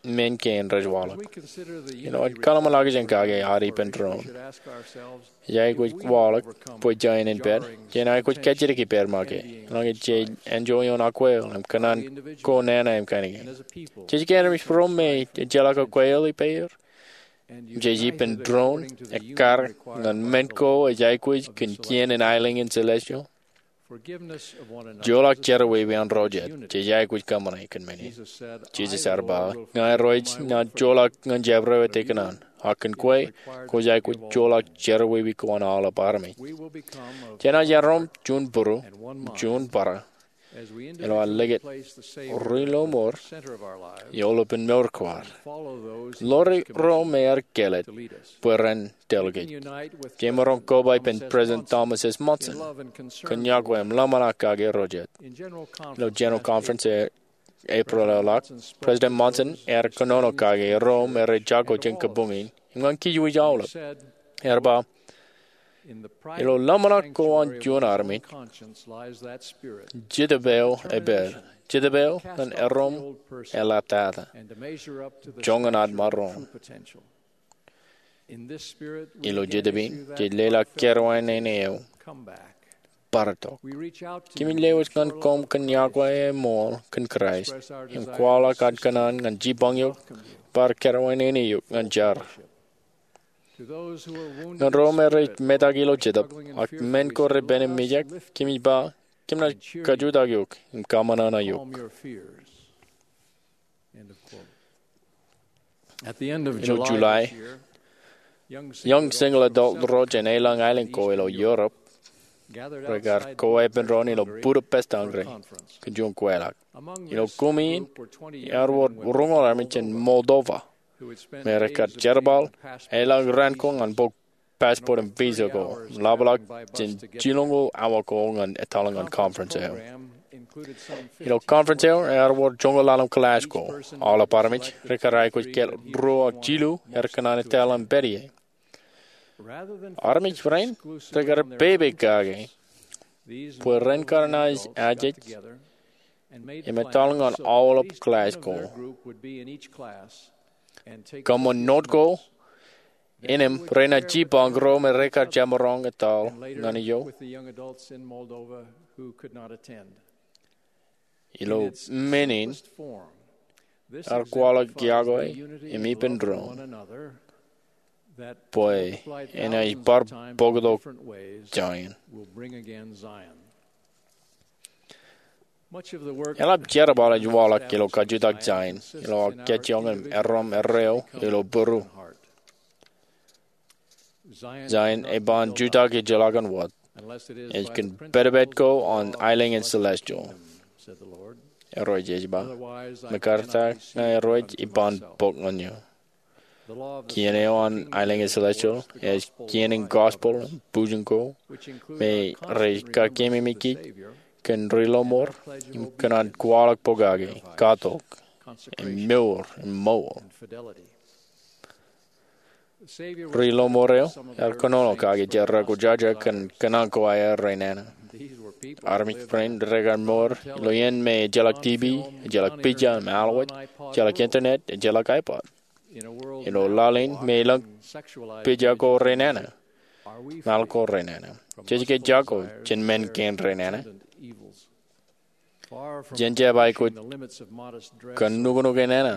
men kein rej waḷọk. Ilo ad kaḷmōnḷọkjeṇ kake ad ippān doon, ej aikuj waḷọk bwe Zion en pād, jen aikuj kajjitōk ippād ṃake. Eḷaññe jej enjoy ioon akweḷ im kōṇaan ko nana im kain kein, jej kōn armej ro me ejjeḷọk akweḷ ippāer, im jej ippān doon ekkar ñan men ko ej aikuj kōn kien in aelōñ in celestial, joḷọk jerọwiwi an ro jet jej aikuj kōṃṃane kōn men in. Jisōs ear ba, ña Irooj, inaaj joḷọk ñan jabdewōt ikōṇaan, ak kōn kwe kwōj aikuj joḷọk jerọwiwi ko an aolep armej. Jenaaj erom juon būru im juon bōrā ilo ad likūt ri-lọmọọr eolepen mour ko ad. Ḷoor ro me ear kāālōt bwe ren tōl kōj. Jemaroñ koba ippān President Thomas S. Monson kōn yokwe im ḷōmṇak kake ro jet. Ilo General Conference e April eḷap, President Monson ear kōnono kake ro me rej jako jān kabuñ in im ñan kōj aolep. Ear ba, ilo ḷōmṇak ko an juon armej, Jetōb eo epād, Jetōb eo ñan erom eḷaptata, joñan ad maroñ. Ilo Jetōb in jej leḷọk kōrā in eo, bar tok. Kōmij lewōj ñan koṃ kōn yokwe im ṃool kōn Kraist im kwaḷọk ad kōṇaan ñan jipañ eok, bar kōrā in eo ñan jar. Ñan ro me rej metak ilo jetōb ak men ko repen im mijak, kōmij ba, kōm naaj kajutak eok im kaṃōṇōṇō eok. Ilo July, young single adult ro jān elōñ aelōñ ko ilo Europe rekar koweepen doon ilo Budapest, Hungary kōn juon kweilọk. Ilo kumi in ear wōr roñoul armej jān Moldova me rekar jerbal elōñ raan ko ñan bōk passport im visa ko im ḷapḷọk jān jilñoul awa ko ñan etal ñan conference eo. Ilo conference eo ear wōr joñoul ḷalem kilash ko. Aolep armej rekar aikuj kāāl ruo ak jilu er kōṇaan etal im pād ie. Armej rein rekar pepe kake bwe ren kar naaj ajej im etal ñan aolep kilash ko, kōṃṃan note ko innām renaaj jipañ ro me rekar jab maroñ etal ñan eo. Ilo men in ear kwaḷọk yokwe im ippān doon bwe enaaj bar bōktok Zion. Eḷap jerbal ej waḷọk ilo kajutak Zion ilo aō kajjioñ im erom erreo ilo būru. Zion eban jutak ejjeḷọk an wōt. Ej kōn pedped ko an aelōñ in celestial, Irooj ej ba. Mekarta ña Irooj iban bōk ñan eō. Kien eo an aelōñ in celestial ej kien in gospel im bujin ko me rej kakememej kōn ri-lọmọọr im kōn an kwaḷọk pokake, katok, im mour im ṃool. Ri-lọmọọr eo ear kōnono kake jet rekwōjarjar kōn kōṇaan ko aer renana. Armej rein rekar mour ilo iien me ejjeḷọk TV, ejjeḷọk pija im alwōj, ejjeḷọk internet, ejjeḷọk iPod. Ilo laḷ in me elōñ pija ko renana, maḷ ko renana, jej ke jako jān men kein renana? Jen jab aikuj kōn nuknuk enana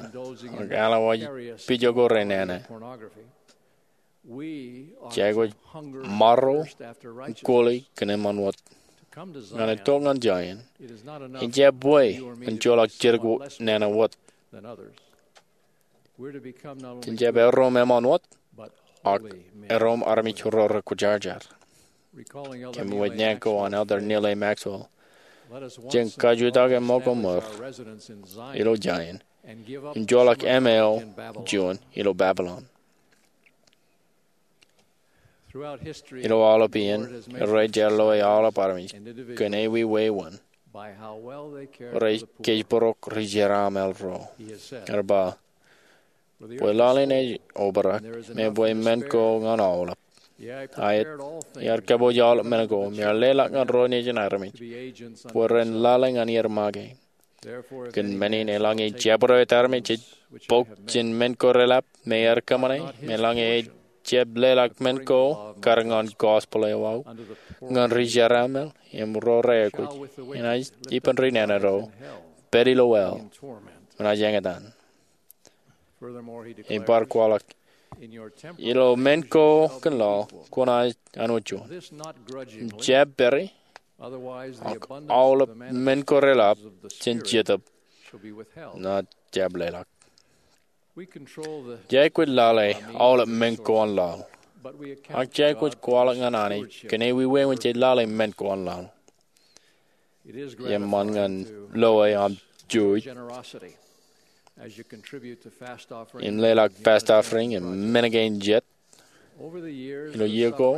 ak alwōj pija ko renana. Jej aikuj marro im koli kōn eṃṃan wōt. Ñan itok ñan Zion, en jab bwe en joḷọk jidik nana wōt. Jen jab erom eṃṃan wōt, ak erom armej ro rekwōjarjar. Kōmwōj naan ko an Elder Neal A. Maxwell, jen kajutak eṃṃakōṃṃan ilo Zion im joḷọk ṃweo juon ilo Babylon. Ilo aolep iien, Irooj ear loe aolep armej kōn ewi wāween. rej kōjparok ri-jeraṃṃan ro. Ear ba, bwe laḷ in ej obrak, me bwe men ko ñan aolep. Aet, iar kōpooj aolep men ko, im iar leḷọk ñan ro nejin armej bwe ren lale ñan ier make. Kōn men in, eḷaññe jabdewōt armej ej bok jān men ko reḷap me ear kōṃṃane, me eḷaññe ej jab leḷọk men ko kar ñan gospel eo aō, ñan ri-jeraṃṃan im ro reaikuj, enaaj ippān ri-nana ro, pād ilo hell, enaaj eñtaan. Im bar kwaḷọk, ilo men ko kōn laḷ, kwōnaaj anwōj juon. Im jab pād ie, ak aolep men ko reḷap jān Jetōb enaaj jab leḷọk. Jej aikuj lale aolep men ko an laḷ. Ak jej aikuj kwaḷọk ñan Anij kōn ewi wāween jej lale men ko an laḷ. Eṃṃan ñan loe aṃ juuj im leḷọk fast offering im men kein jet. Ilo iiō ko,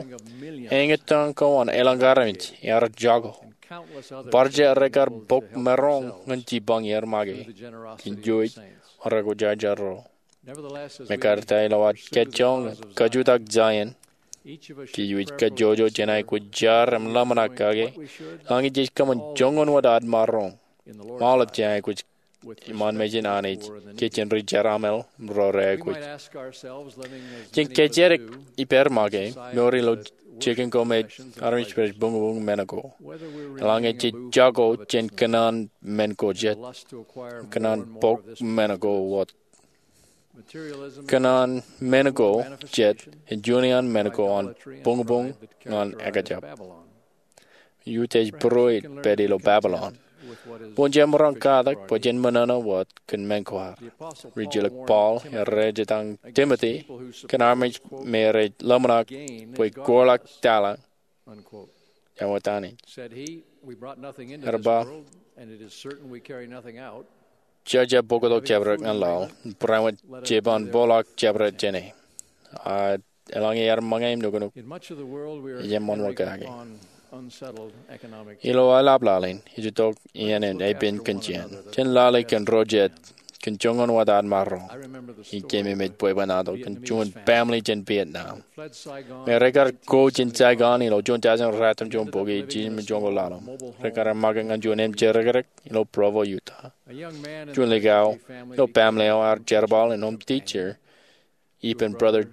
eñtaan ko an elōñ armej ear jako. Bar jea rekar bok maroñ ñan jipañ ier make kōn juuj an rekwōjarjar ro. Mekarta ilo ad kajjojo ñan kajutak Zion, kōj kajjojo jān aikuj jar im ḷōmṇak kake, eḷaññe jej kōṃṃan joñan wōt ad maroñ im aolep jān aikuj iṃaan mejān Anij, kōj jān ri-jeraṃṃan im ro reaikuj. Jen kōjatdikdik ippād make, mour ilo jikin ko me armej rej buñbuñ men ko. Eḷaññe jej jako jān kōṇaan men ko jet, kōṇaan bok men ko wōt. Kōṇaan men ko jet ej juon iaan men ko an buñbuñ ñan ekjab. Iuj ej būrueet pād ilo Babilon. Bwe jemaroñ katak bwe jen ṃōṇōṇō wōt kōn men ko ad. Rijilōk Paul ear rejetaṃ Timote kōn armej me rej ḷōmṇak bwe koḷak taḷa. Ear ba, jej jab bōktok jabdewōt ñan laḷ, barāinwōt jej ban bōkḷọk jabdewōt jāne. A eḷaññe ear ṃōñā im nuknuk, ej eṃṃan wōt kake. Ilo aelap laḷ in, ej itok iien in epen kōn jān, jān lale kōn ro jet, kōn joñan wōt ad maroñ. Ij keememej bwebwenato kōn juon family jān Vietnam me rekar ko jān Saigon ilo juon tọujin ruatimjuonbukwi, jiljino joñoul ḷalem. Rekar make ñan juon emjerakrak ilo Provo, Utah. Juon likao ilo family eo ear jerbal in home teacher ippān Brother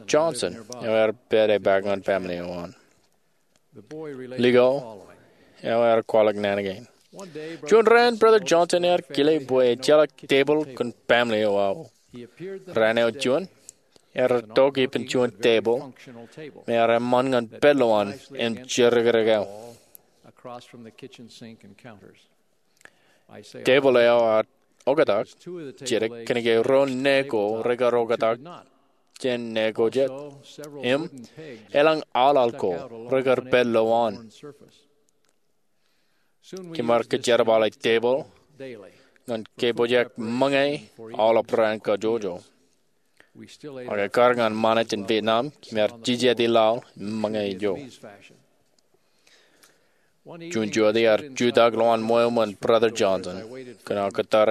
Johnson eo ear pād epaak ñan family eo an. Likao eo ear kwaḷọk naan kein. Juon raan Brother Johnson ear kile bwe ejjeḷọk tebōḷ kōn family eo aō. Raan eo juon, ear itok ippān juon tebōḷ me ear eṃṃan ñan pād lowaan emjerakrak eo. Tebōḷ eo ear oktak jidik kōnke ro ne ko rekar oktak jān ne ko jet. Im elōñ aḷaḷ ko rekar pād lowaan. Kōm ar kōjerbale tebōḷ ñan kōpooj ṃōñā aolep raan kajjojo. Ak ekkar ñan ṃanit in Vietnam, kōm ar jijeti laḷ im ṃōñā ijo. Juon jota iar jutak lowaan ṃweo ṃōn Brother Johnson kōn aō kōttar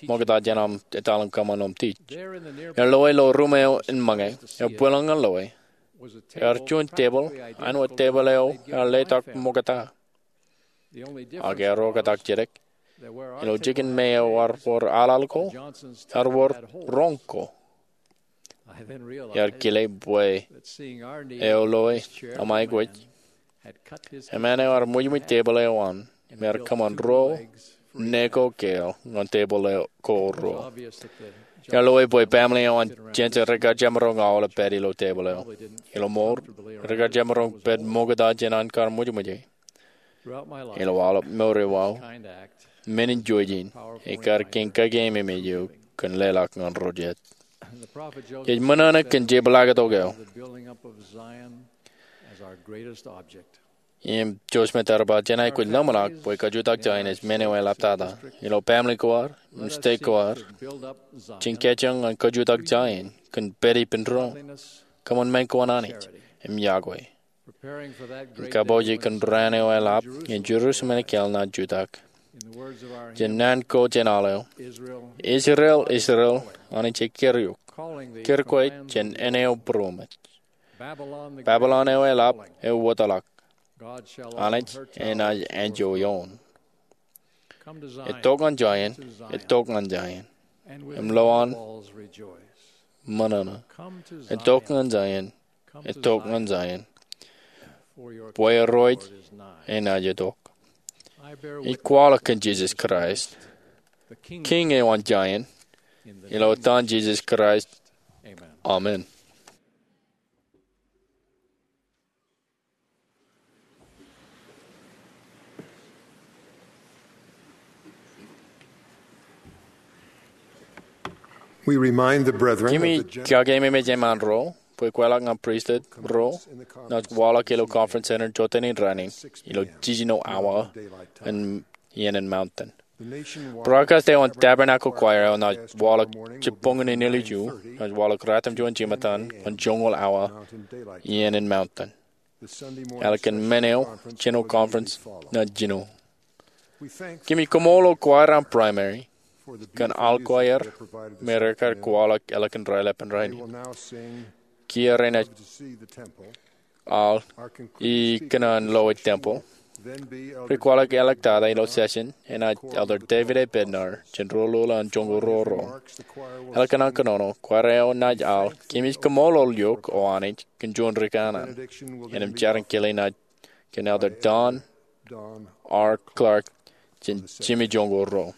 ṃokta jān aṃ etal in kōṃṃan home teach. Ear loe ilo ruum eo in ṃōñā, ear bwilōñ ñan loe. Ear juon tebōḷ āinwōt tebōḷ eo ear letok ṃokta. Ak ear oktak jidik. Ilo jikin me ear wōr aḷaḷ ko, ear wōr roñ ko. Iar kile bwe eo loe aṃ aikuj, eṃṃan eo ear ṃwijṃwij tebōḷ eo an, im ear kōṃṃan ruo ne ko kāāl ñan tebōḷ ko ruo. Iar loe bwe family eo an jān jet rekar jemaroñ aolep pād ilo tebōḷ eo. Ilo mour, rekar jemaroñ pād ṃokta jān an kar ṃwijṃwij e. Ilo aolep mour eo aō, men in juej in ekar kiiñ kakeememej eok kōn leḷọk ñan ro jet. Jej ṃōṇōṇō kōn jeblaaktok eo. Im Joseph Smith ear ba, jen aikuj ḷōmṇak bwe kajutak Zion ej men eo eḷaptata. Ilo family ko ad im state ko ad, jen kajjioñ ñan kajutak Zion kōn pād ippān doon, kōṃṃan men ko an Anij, im yokwe. Im kabouj kōn raan eo eḷap ñe Jerusalem ekāāl naaj jutak. Jān naan ko jān aḷ eo, Israel, Israel, Anij ej keriuk, keriuk kwe jān āne eo būroṃōj. Babilon eo eḷap eo wōtlọk, Anij enaaj enjoy ioon. Etok ñan Zion, etok ñan Zion, im lo an ṃōṇōṇō. Etok ñan Zion, etok ñan Zion, bwe Irooj enaaj etok. Ij kwaḷọk kōn Jisōs Kraist, Kiiñ eo an Zion, ilo etan Jisōs Kraist, amen. Kimi kakeememej eṃṃan ro bwe kweilọk ñan pristut ro naaj waḷọk ilo Conference Center jọteen in rainin ilo jiljino awa iien in mountain. Broadcast eo an Tabernacle Choir eo naaj waḷọk jibboñōn in ilju, naaj waḷọk ratimjuon jimettan ñan joñoul awa iien in mountain. Ālikin men eo, jino conference naaj jino. Kōmij koṃṃool ilo choir an primary kōn aḷ ko aer me rekar kwaḷọk ālikin raelepen rainin. Kiiō renaaj aḷ ikōṇaan lo temple. Rekwaḷọk āliktata ilo session enaaj Elder David A. Bednar jān Rōlul an Joñoul Ruo Ruo. Ālikin an kōnono, choir eo naaj aḷ Kōmij Kaṃṃoolol Eok, O Anij, kōn juon ri kanaan. Innām jar in kile naaj kōn Elder Don R. Clark jān Jimmy Joñoul Ruo.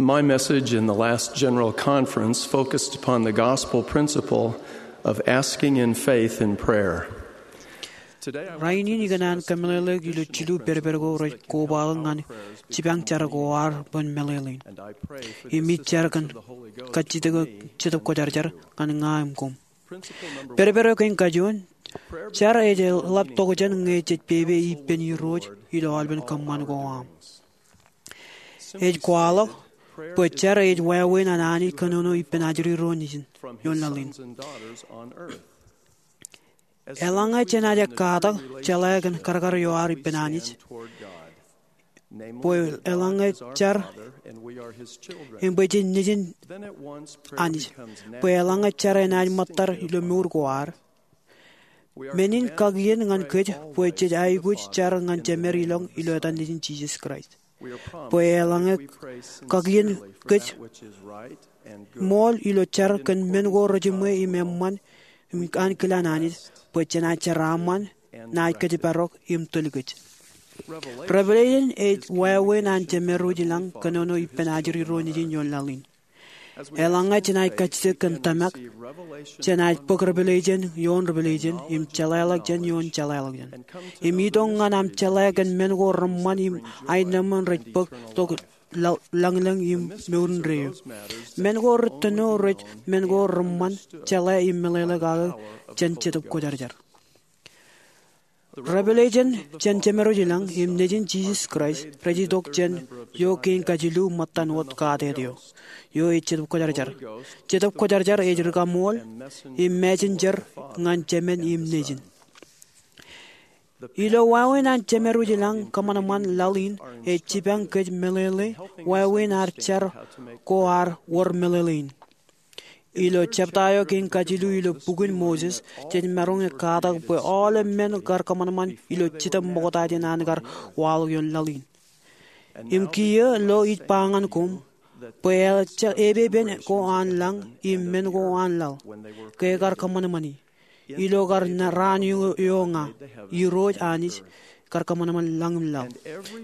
My message in the last general conference focused upon the gospel principle of asking in faith in prayer. Rainin ikōṇaan kōmeḷeḷeik ilo jilu pedped ko rej kobaḷọk ñan jipañ jar ko ad bwe en meḷeḷein. Im ij jar kōn kajjitōk Jetōb Kwōjarjar ñan ña im koṃ. Pedped eo kein kajuon, jar ej ḷap tokjān ñe jej pepe ippān Irooj ilo aolepen kōṃṃan ko aṃ. Ej kwaḷọk bwe jar ej wāween an Anij kōnono ippān ajri ro nejin ioon laḷ in. Eḷaññe jenaaj katak jeḷā kōn karkar eo ad ippān Anij, bwe eḷaññe jar, im bwe jen nejin Anij, bwe eḷaññe jar enaaj ṃōttad ilo mour ko ad, Men in kakien ñan kōj bwe jej aikuj jar ñan Jemed ilọñ ilo etan Nejin Jisōs Kraist. Bwe eḷaññe kakien kōj ṃool ilo jar kōn men ko rejiṃwe im eṃṃan im ankilaan Anij, bwe jenaaj jeraaṃṃan, naaj kōjparok im tōl kōj. Revelation ej wāween an Jemed wōj ilañ kōnono ippān ajri ro nejin ioon laḷ in. Eḷaññe jenaaj kajjitōk kōn tōmak, jenaaj bōk Revelation ioon Revelation im jeḷāḷọkjeṇ ioon jeḷāḷọkjeṇ, im itok ñan aṃ jeḷā kōn men ko reṃṃan im aenōṃṃan rej bōk tok lañlōñ im mour indeeo. Men ko rej tōno rej men ko reṃṃan jeḷā im meḷeḷe kake jān Jetōb Kwōjarjar. Revelation jān Jemed wōj ilañ im Nejin Jisōs Kraist rej itok jān eo kein kajilu ṃōttan wōt katet eo, eo ej Jetōb Kwōjarjar. Jetōb Kwōjarjar ej rikaṃool im messenger ñan Jemed im Nejin. Ilo wāween an Jemed wōj ilañ, kōṃanṃan laḷ in ej jipañ kōj meḷeḷe wāween ad jar ko ad wōr meḷeḷe in. Ilo jebta eo kein kajilu ilo bukwōn Moses, jej maroñ in katak bwe aolep men kar kōṃanṃan ilo Jetōb ṃokta jān an kar waḷọk ioon laḷ in. Im kiiō lo ij ba ñan koṃ, bwe epepen ko an lañ im men ko an laḷ, ke ekar kōṃanṃani, ilo kar raan eo ña, Irooj Anij, kar kōṃanṃan lañ im laḷ.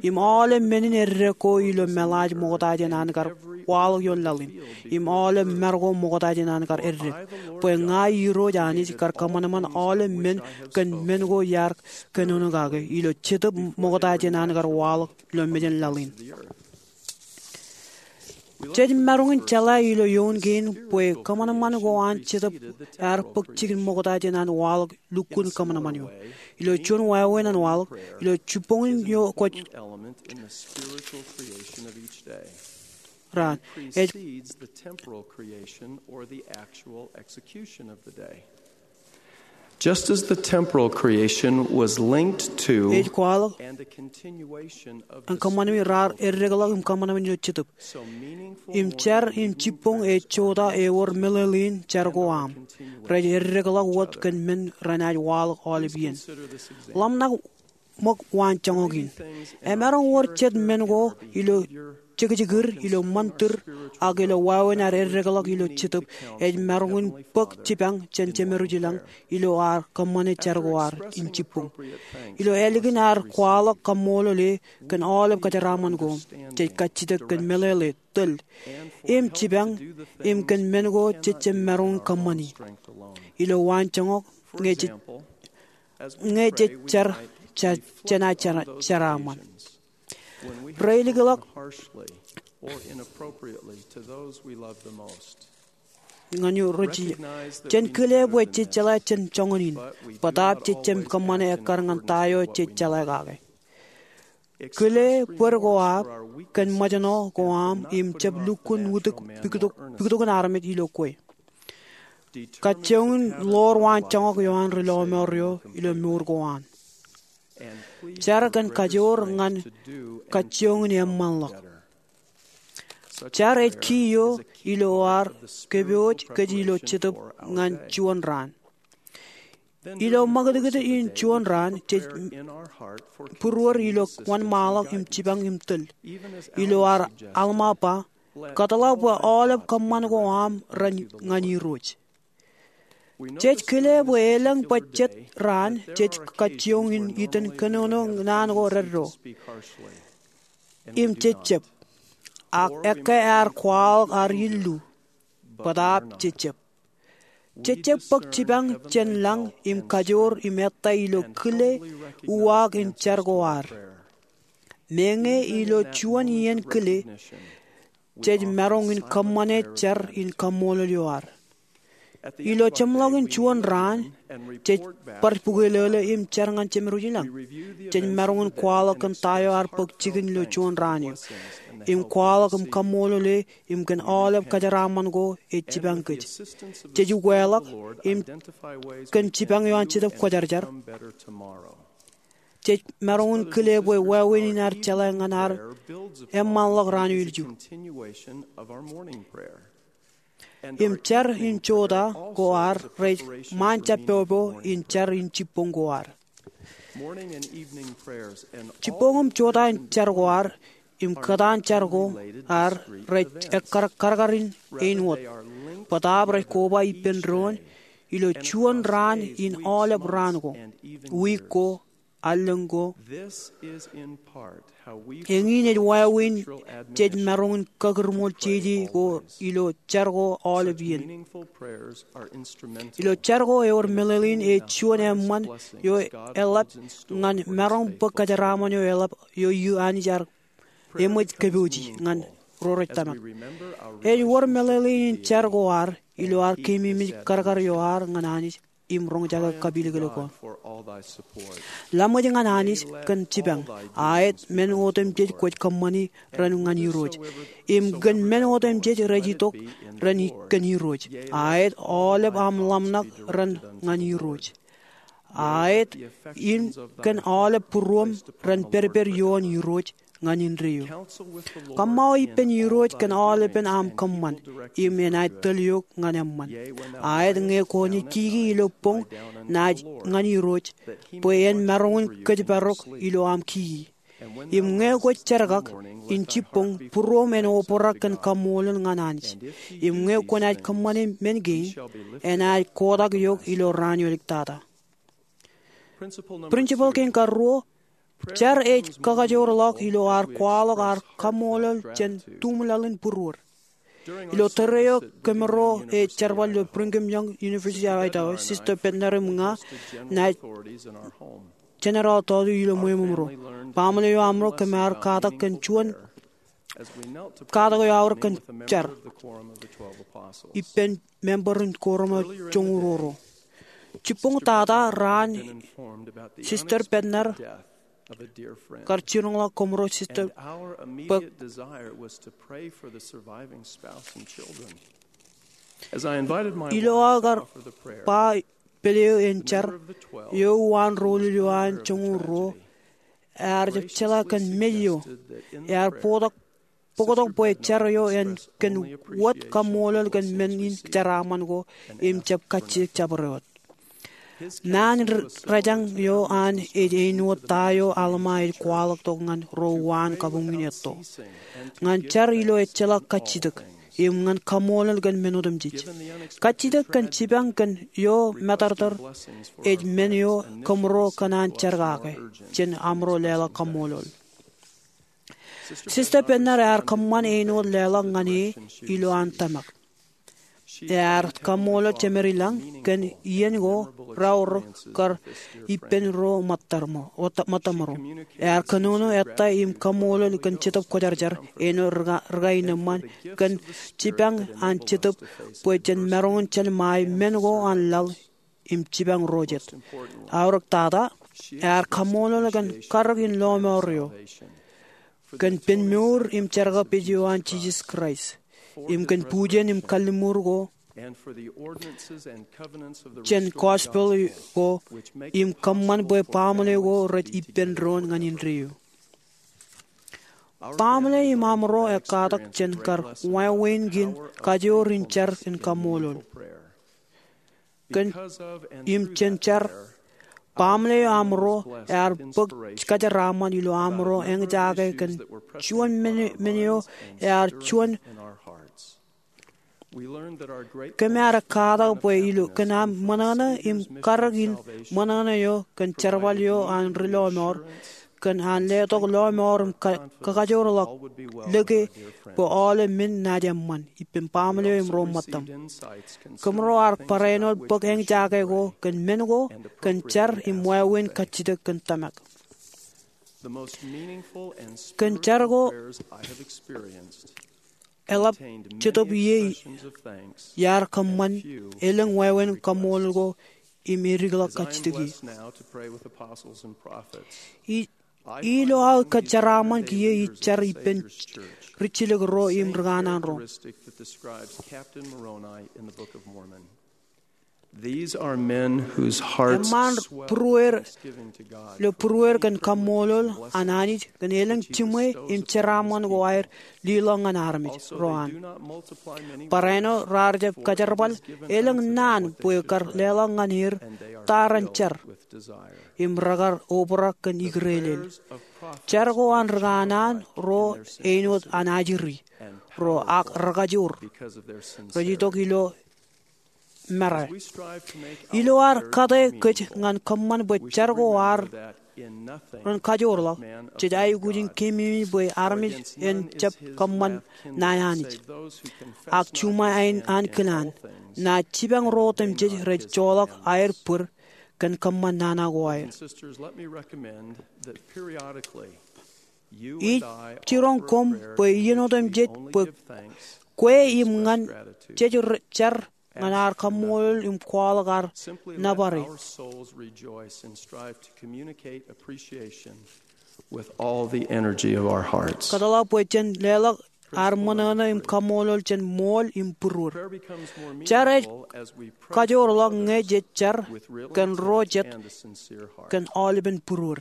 Im aolep men in eddek ko ilo meḷaaj ṃokta jān an kar waḷọk ioon laḷ in, im aolep mar ko ṃokta jān an kar eddek, bwe ña Irooj Anij kar kōṃanṃan aolep men kōn men ko iar kōnono kake ilo Jetōb ṃokta jān an kar waḷọk ilo mejān laḷ in. Jej maroñ in jeḷā ilo eoon kein bwe kōṃanṃan ko an Jetōb ear bōk jikin ṃokta jān an waḷọk lukkuun kōṃanṃan eo. Ilo juon wāween an waḷọk, ilo jibboñin eo kwōj raan, ej Just as the temporal creation was linked to ej kwaḷọk and a continuation of ñan kōṃanṃan raar eddekḷọk im kōṃanṃan ilo Jetōb. Im jar im jibboñ ej jota ewōr meḷeḷein jar ko aṃ. Rej eddekḷọk wōt kōn men renaaj waḷọk aolep iien. Ḷōmṇak ṃōk waanjoñak in. Emaroñ wōr jet men ko ilo jekjekūd, ilo ṃantir, ak ilo wāween ad eddekḷọk ilo Jetōb, ej maroñ in bōk jipañ jān Jemed wōj ilañ ilo ad kōṃṃane jar ko ad in jibboñ. Ilo ālikin ad kwaḷọk kaṃṃoolol e kōn aolep kajeraaṃṃan ko, jej kajjitōk kōn meḷeḷe, tōl, im jipañ, im kōn men ko jej jab maroñ in kōṃṃani ilo waanjoñak, ñe jej, ñe jej jar, ja, jenaaj jeraaṃṃan. Reilikḷọk harshly or inappropriately to those we love the most. ñan eo rej, jen kile bwe jej jeḷā jān joñan in, bōtaab jej jab kōṃṃane ekkar ñan ta eo jej jeḷā kake. Kile bōd ko aṃ kōn ṃōjṇọ ko aṃ im jab lukkuun wūtik pikitok, pikitokin armej ilo kwe. Kajjioñ in ḷoor waanjoñak eo an ri lọmọọr eo ilo mour ko an. Jar kōn kajoor ñan kajjioñ in eṃṃanḷọk. Jar ej key eo ilo ad kōpooj kōj ilo Jetōb ñan juon raan. Ilo ṃakūtkūt in juon raan, jej būruod ilo wōnṃaanḷọk im jipañ im tōl. Ilo ad Alma ba, kōtḷọk bwe aolep kōṃṃan ko aṃ ren ñan Irooj. Jej kile bwe elōñ bwe jet raan jej kajjioñ in itōn kōnono naan ko reddo im jejjab, ak ekkā ear kwaḷọk ad illu, bōtaab jejjab. Jejjab bōk jipañ jān lañ im kajoor im ettā ilo kile uwaak in jar ko ad. Meñe ilo juon iien kile, jej maroñ in kōṃṃane jar in kaṃṃoolol eo ad. Ilo jeṃḷọkin juon raan, jej bar bukwelōlō im jar ñan Jemed wōj ilañ. Jej maroñ in kwaḷọk kōn ta eo ear bōk jikin ilo juon raan eo, im kwaḷọk im kaṃṃoolol e im kōn aolep kajeraaṃṃan ko ej jipañ kōj. Jej ukeḷọk im kōn jipañ eo an Jetōb Kwōjarjar, jej maroñ in kile bwe wāween in ear jeḷā ñan ad eṃṃanḷọk raan eo ilju. Im jar in jota ko ad rej ṃaan jabbobo in jar in jibboñ ko ad. Jibboñ im jota in jar ko ad im kōtaan jar ko ad rej ekkar karkar in āinwōt. Bōtaab rej koba ippān doon ilo juon raan in aolep raan ko, wiik ko, allōñ ko. Eñin ej wāween jej maroñ in kakūrṃool jeje ko ilo jar ko aolep iien. Ilo jar ko ewōr meḷeḷein ej juon eṃṃan eo eḷap ñan maroñ bōk kōjeraaṃṃan eo eḷap eo Anij ear eṃōj kōpooji ñan ro rej tōmak. Ej wōr meḷeḷein jar ko ad ilo ad keememej karkar eo ad ñan Anij im roñjake kapilōklōk eo. Laṃōj ñan Anij kōn jipañ. Aet men otemjej kwōj kōṃṃani ren ñan Irooj, im kōn men otemjej rej itok ren kōn Irooj. Aet aolep aṃ ḷōmṇak ren ñan Irooj. Aet in kōn aolep būruōṃ ren pedped ioon Irooj ñan indeeo. Kōṃṃao ippān Irooj kōn aolepen aṃ kōṃṃan, im enaaj tōl eok ñan eṃṃan. Aet ñe kwōnaaj kiki ilo boñ naaj ñan Irooj, bwe en maroñ in kōjparok ilo aṃ kiki. Im ñe kwōj jerkak in jibboñ, būruōṃ en obrak kōn kaṃṃoolol ñan Anij. Im ñe kwōnaaj kōṃṃane men kein, enaaj kotak eok ilo raan eo āliktata. Principle kein karuo, jar ej kakajoorḷọk ilo ad kwaḷọk ad kaṃṃoolol jān tuṃlaḷ in būruod. Ilo tōre eo kōmro ej jerbal ilo Brigham Young University of Idaho, Sister Bednar im ña naaj jenerale tọọtu ilo ṃweo ṃōṃro. Baaṃle eo aṃro kōm ar katak kōn juon katak eo aorōk kōn jar ippān member in Korum eo joñoul ruo. Jibboñ tata raan, Sister Bednar kar jiroñḷọk kōmro Sister bōk. Ilo aō kar ba pād eo an jar, eo uwaan roñoul eo an joñoul ruo, ear jab jeḷā kōn mej eo ear bōktok bwe jar eo en kōn wōt kaṃṃoolol kōn men in jeraaṃṃan ko im jab kajjitōk jabdewōt. Naan rejañ eo an ej āinwōt ta eo Alma ej kwaḷọk tok ñan ro uwaan kabuñ in etto. Ñan jar ilo ejjeḷọk kajjitōk im ñan kaṃṃoolol kōn men otemjej. Kajjitōk kōn jipañ kōn eo matōrtōr ej men eo kōmro kōṇaan jerkake jān amro leḷọk kaṃṃoolol. Sister Bednar ear kōṃṃan āinwōt leḷọk ñan e ilo an tōmak. Ear kaṃṃoolol Jemedlañ kōn iien ko raorōk kar ippān ro ṃōttaṃro. Ear kōnono ettā im kaṃṃoolol kōn Jetōb Kwōjarjar āinwōt rikain eṃṃan kōn jipañ an Jetōb bwe jen maroñ in jelṃae men ko an laḷ im jipañ ro jet. Aorōk tata, ear kaṃṃoolol kōn karōk in lọmọọr eo, kōn pen mour im jerkakpeje eo an Jisōs Kraist, im kōn bujen im kalliṃur ko jān gospel ko im kōṃṃan bwe baaṃle ko rej ippān doon ñan indeeo. Baaṃle im amro ekkatak jān kar wāween kein kajoor in jar in kaṃṃoolol. Kōn im jān jar, baaṃle eo amro ear bōk kōjeraaṃṃan ilo amro eñjake kōn juon men eo ear juon. Kōm ar ekkatak bwe ilo kōn aṃ ṃōṇōṇō im karōk in ṃōṇōṇō eo kōn jerbal eo an ri lọmọọr, kōn an letok lọmọọr im kakajoorḷọk lōke bwe aolep men naaj eṃṃan ippān baaṃle eo im ro ṃōttaṃ. Kōmro ar barāinwōt bōk eñjake ko kōn men ko, kōn jar im wāween kajjitōk kōn tōmak. Kōn jar ko eḷap Jetōb ie iar kōṃṃan elōñ wāween kaṃṃoolol ko im edikḷọk kajjitōk ie. Ilo aō kōjeraaṃṃan kiiō ij jar ippān rijjilōk ro im rikanaan ro. Eṃṃaan būrueir ilo būrueir kōn kaṃṃoolol an Anij kōn elōñ jiṃwe im jeraaṃṃan ko aer leḷọk ñan armej ro an. Barāinwōt raar jab kajerbal, elōñ naan bwe kar leḷọk ñan er ta ren jar im rekar obrak kōn ikōrā ḷọk. Jar ko an rikanaan ro āinwōt an ajri ro ak rekajoor rej itok ilo mera. Ilo ad kate kōj ñan kōṃṃan bwe jar ko ad ren kajoor ḷọk, jej aikuj in keememej bwe armej en jab kōṃṃan naan Anij ak juṃae ankilaan, naaj jipañ ro otemjej rej joḷọk aer bōd kōn kōṃṃan nana ko aer. Ij jiroñ koṃ bwe iien otemjej bwe kwe im ñan jej jar ñan ad kaṃṃoolol im kwaḷọk ad nōbar e. Kōtḷọk bwe jen leḷọk ad ṃōṇōṇō im kaṃṃoolol jān ṃool im būruod. Jar ej kajoor ḷọk ñe jej jar kōn ro jet kōn aolepen būruod.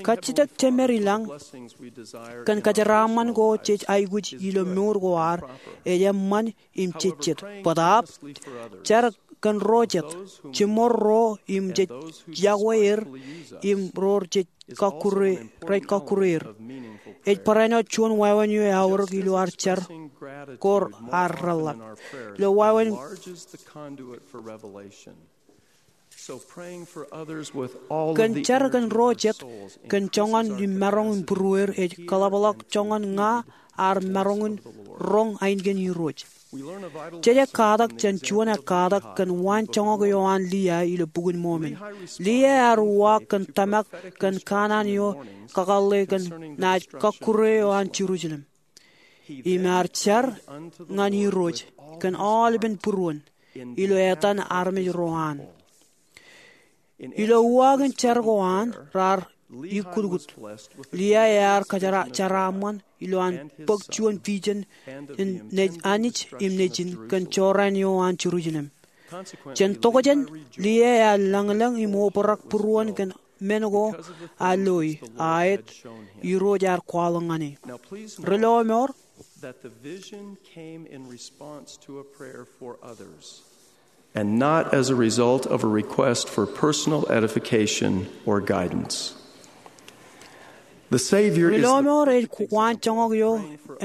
Kajjitōk jemed i lañ kōn kajeraaṃṃan ko jej aikuj ilo mour ko ad ej eṃṃan im jejjet. Bōtaab, jar kōn ro jet, jiṃor ro im jej yokwe er im ro rej kọkkure er. Ej barāinwōt juon wāween eo eaorōk ilo ad jar ko ad reḷḷap. Ilo wāween Kōn jar kōn ro jet kōn joñan im maroñ in būrueir ej kōḷapḷọk joñan ña ad maroñ in roñ ainikien Irooj. Jej ekkatak jān juon ekkatak kōn waanjoñak eo an Liai ilo Bukun Mōmon. Liai ear uwaak kōn tōmak kōn kanaan eo kakōḷḷe kōn naaj kọkkure eo an Jerusalem im ear jar ñan Irooj kōn aolepen būruon ilo etan armej ro an. Ilo uwaak in jar ko an raar ikkutkut, Liai ear kajeraṃṃan ilo an bōk juon vision in Anij im Nejin kōn jorrāān eo an Jerusalem. Jān tokjān, Liai ear lañlōñ im obrak būruon kōn men ko ear loi, aet, Irooj ear kwaḷọk ñan e. Ri lọmọọr, that the vision came in response to a prayer for others and not as a result of a request for personal edification or guidance. The Savior Ri lọmọọr ej waanjoñak eo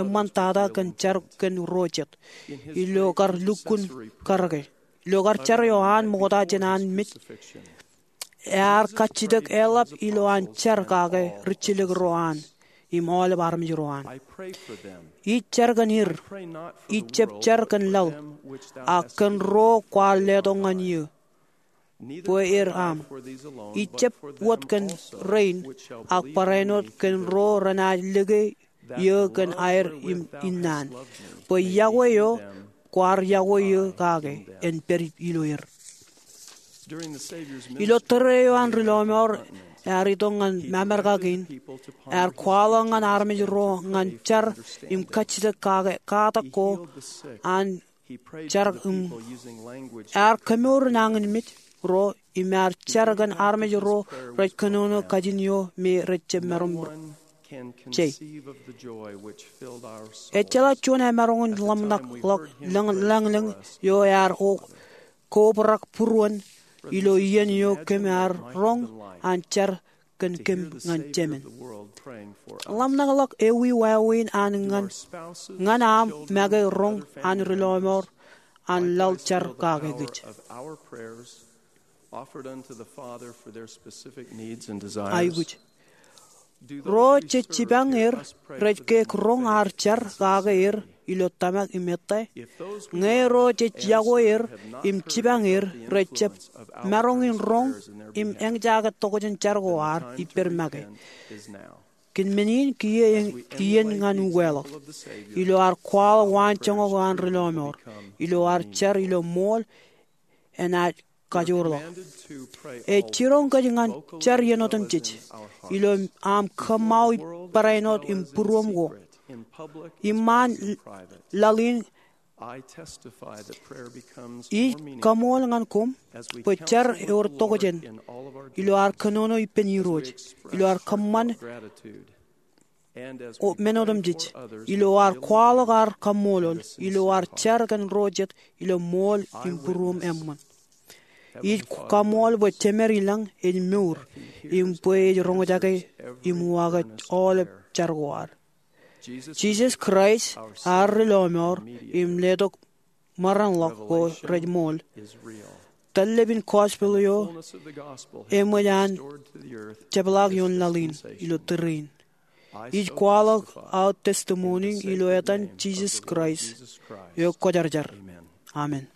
eṃṃantata kōn jar kōn ro jet ilo kar lukkuun karōke. Ilo kar jar eo an ṃokta jān an mej, ear kajjitōk eḷap ilo an jar kake rijjelōk ro an im aolep armej ro an. Ij jar kōn er, ij jab jar kōn laḷ, ak kōn ro kwaar letok ñan eō bwe er aṃ. Ij jab wōt kōn rein, ak barāinwōt kōn ro renaaj lōke eō kōn aer im innaan, bwe yokwe eo kwaar yokwe eō kake en pād ilo er. Ilo tōre eo an ri lọmọọr ear itok ñan Amerka kein, ear kwaḷọk ñan armej ro ñan jar im kajjitōk kake katak ko an jar im ear kemour nañinmej ro im ear jar kōn armej ro rej kōnono kajin eo me rej jab maroñ jei. Ejjeḷọk juon emaroñ in ḷōmṇak ḷọk lañ-, lañlōñ eo ear o-, kobrak būruon ilo iien eo kōm ar roñ an jar kōn kōm ñan Jemān. Ḷōmṇak ḷọk ewi wāween an ñan, ñan aṃ make roñ an ri lọmọọr an laḷ jar kake kōj. Aikuj. Ro jej jipañ er rej ke roñ ad jar kake er ilo tōmak im ettā? Ñe ro jej yokwe er im jipañ er rej jab maroñ in roñ im eñjake tokjān jar ko ad ippād make, kōn men in kiiō iien ñan ukeḷọk. Ilo ad kwaḷọk waanjoñak eo an ri lọmọọr, ilo ad jar ilo ṃool, enaaj kajoor ḷọk. Ej jiroñ kōj ñan jar iien otemjej ilo aṃ kōṃṃao barāinwōt im būruōṃ ko. Iṃaan laḷ in Ij kaṃool ñan koṃ bwe jar ewōr tokjān ilo ad kōnono ippān Irooj, ilo ad kōṃṃan men otemjej, ilo ad kwaḷọk ad kaṃṃoolol, ilo ad jar kōn ro jet ilo ṃool im būruōm eṃṃan. Ij kaṃool bwe Jemed ilañ ej mour im bwe ej roñjake im uwaake aolep jar ko ad. Jisōs Kraist, ad Ri Lọmọọr im Letok maroñḷọk ko rej ṃool. Tōllep in gospel eo eṃōj an jepḷaak ioon laḷ in ilo tōre in. Ij kwaḷọk aō testimony ilo etan Jisōs Kraist eo Kwōjarjar. Amen.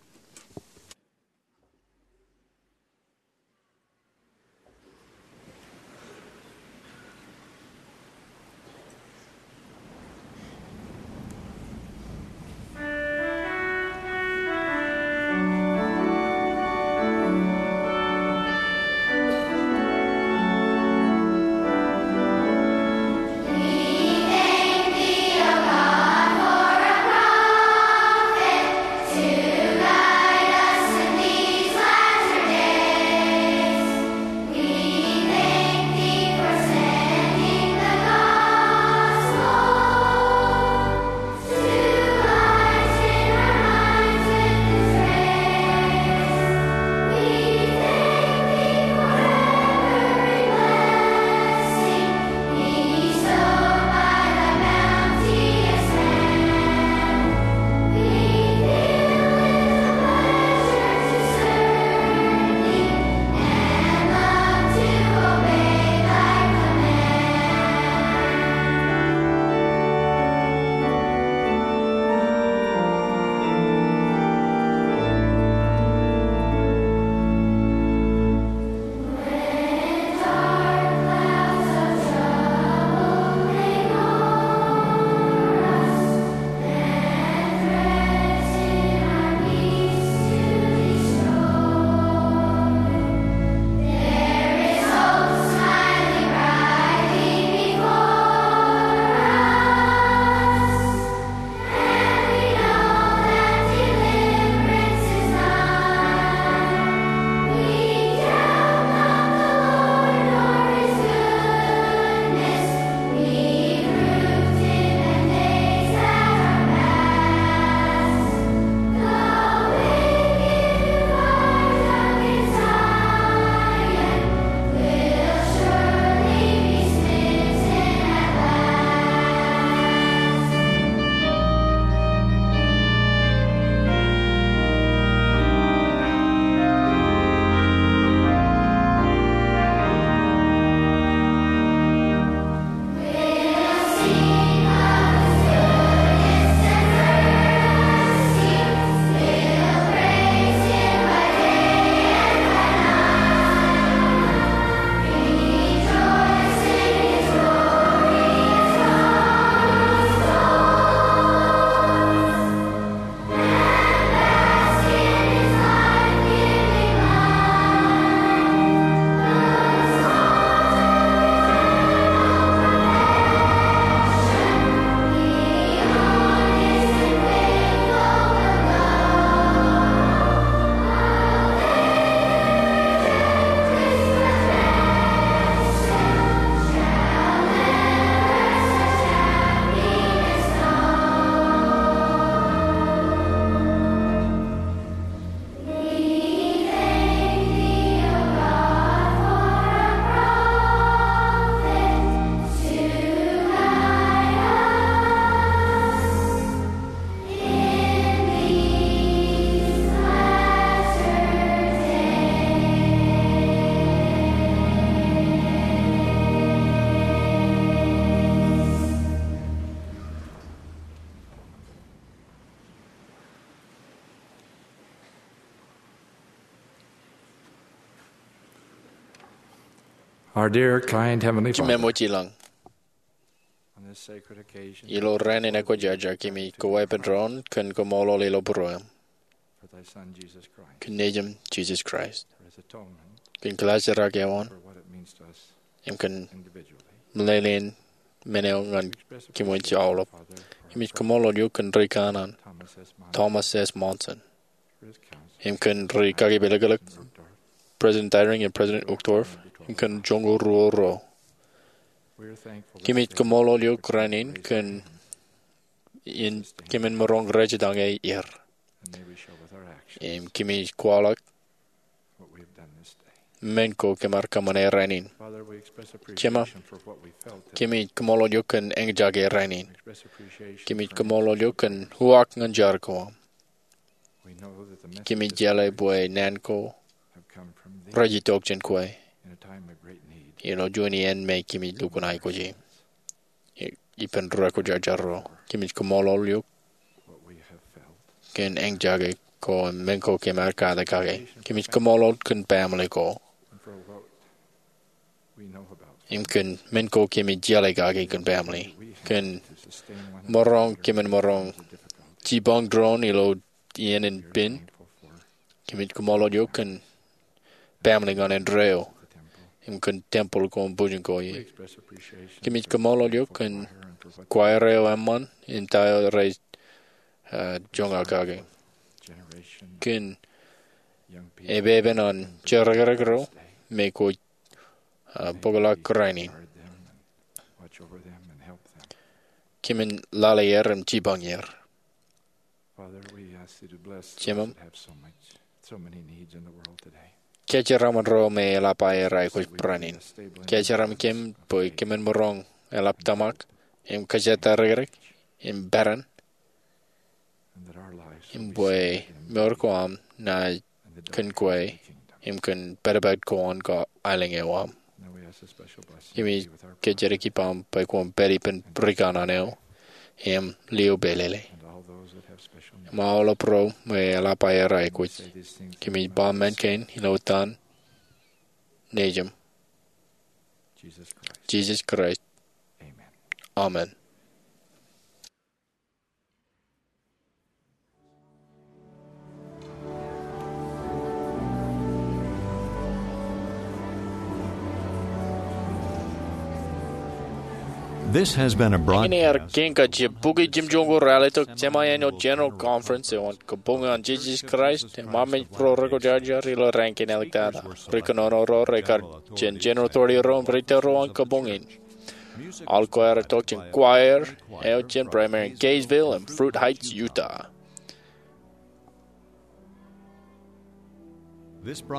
Our dear, kind Heavenly Father, Jemem wōj ilañ, on this sacred occasion, ilo rainin ekwōjarjar, kōmij koweepen doon kōn koṃṃoolol ilo būruōm, for thy Son, Jesus Christ, kōn Nejiṃ Jisōs Kraist, for his atonement, kōn kilaajrak eo an, for what it means to us, im kōn individually, meḷeḷein men eo ñan kōm wōj aolep. Kōmij kaṃṃoolol eok kōn ri kanaan Thomas S. Monson im kōn ri kakipelōklōk, President Eyring im President Uchtdorf, im kōn joñoul ruo ro. Kōmij kaṃṃoolol eok rainin kōn in kōmin maroñ rejetañe er. Im kōmij kwaḷọk men ko kōm ar kōṃṃane rainin. Jema, kōmij kaṃṃoolol eok kōn eñjake rainin. Kōmij kaṃṃoolol eok kōn uwaak ñan jar ko aṃ. Kōmij jeḷā bwe naan ko rejetok jān kwe ilo juon iien me kōmij lukkuun aikuji. Ippān ri kwōjarjar ro, kōmij kaṃṃoolol eok kōn eñjake ko im men ko kōm ar kate kake. Kōmij kaṃṃoolol kōn baaṃle ko im kōn men ko kōmij jeḷā kake kōn baaṃle, kōn maroñ, kōmin maroñ jipañ doon ilo iien in pen. Kōmij kaṃṃoolol eok kōn baaṃle ñan indeeo im kōn tempeḷ ko im bujin ko ie. Kōmij kaṃṃoolol eok kōn choir eo eṃṃan im ta eo rej, uh, joñak kake, kōn epepen an jerkakrak ro me kwōj, uh, bōkḷọk rainin. Kōmin lale er im jipañ er. Jemem, kōjeraṃṃan ro me eḷap aer aikuj barāinwōt in. Kōjeraṃṃan kōm bwe kōmin maroñ eḷap tōmak im kōjatdikdik im peran, im bwe mour ko aṃ naaj kōn kwe im kōn pād ippān ko an aelōñ eo aṃ. Kōmij kōjatdikdik ippaṃ bwe kwōn pād ippān ri kanaan eo im lio pālele im aolep ro me eḷap aer aikuj. Kōmij ba men kein ilo etan Nejūṃ, Jisōs Kraist. Amen. This has been a broadcast. Iññā ear kien kajjien bukwi jimjuonñoul ralitōk Semi-Annual General Conference eo an Kabuñ an Jisōs Kraist im Armej Būruo Rekwōjarjar ilo raan kein āliktata. Ri kōnono ro rekar jān General Authority ro im ri tōl ro an kabuñ in. Aolep choir retok jān choir eo jān Primary in Kaysville im Fruit Heights, Utah.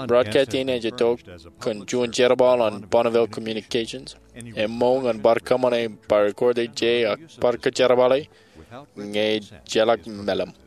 Broadcast in ej itok kōn juon jerbal an Bonneville Communications. Eṃṃool ñan bar kōṃṃane, bar recorded, ak bar kōjerbale ñe ejjeḷọk meḷeḷe.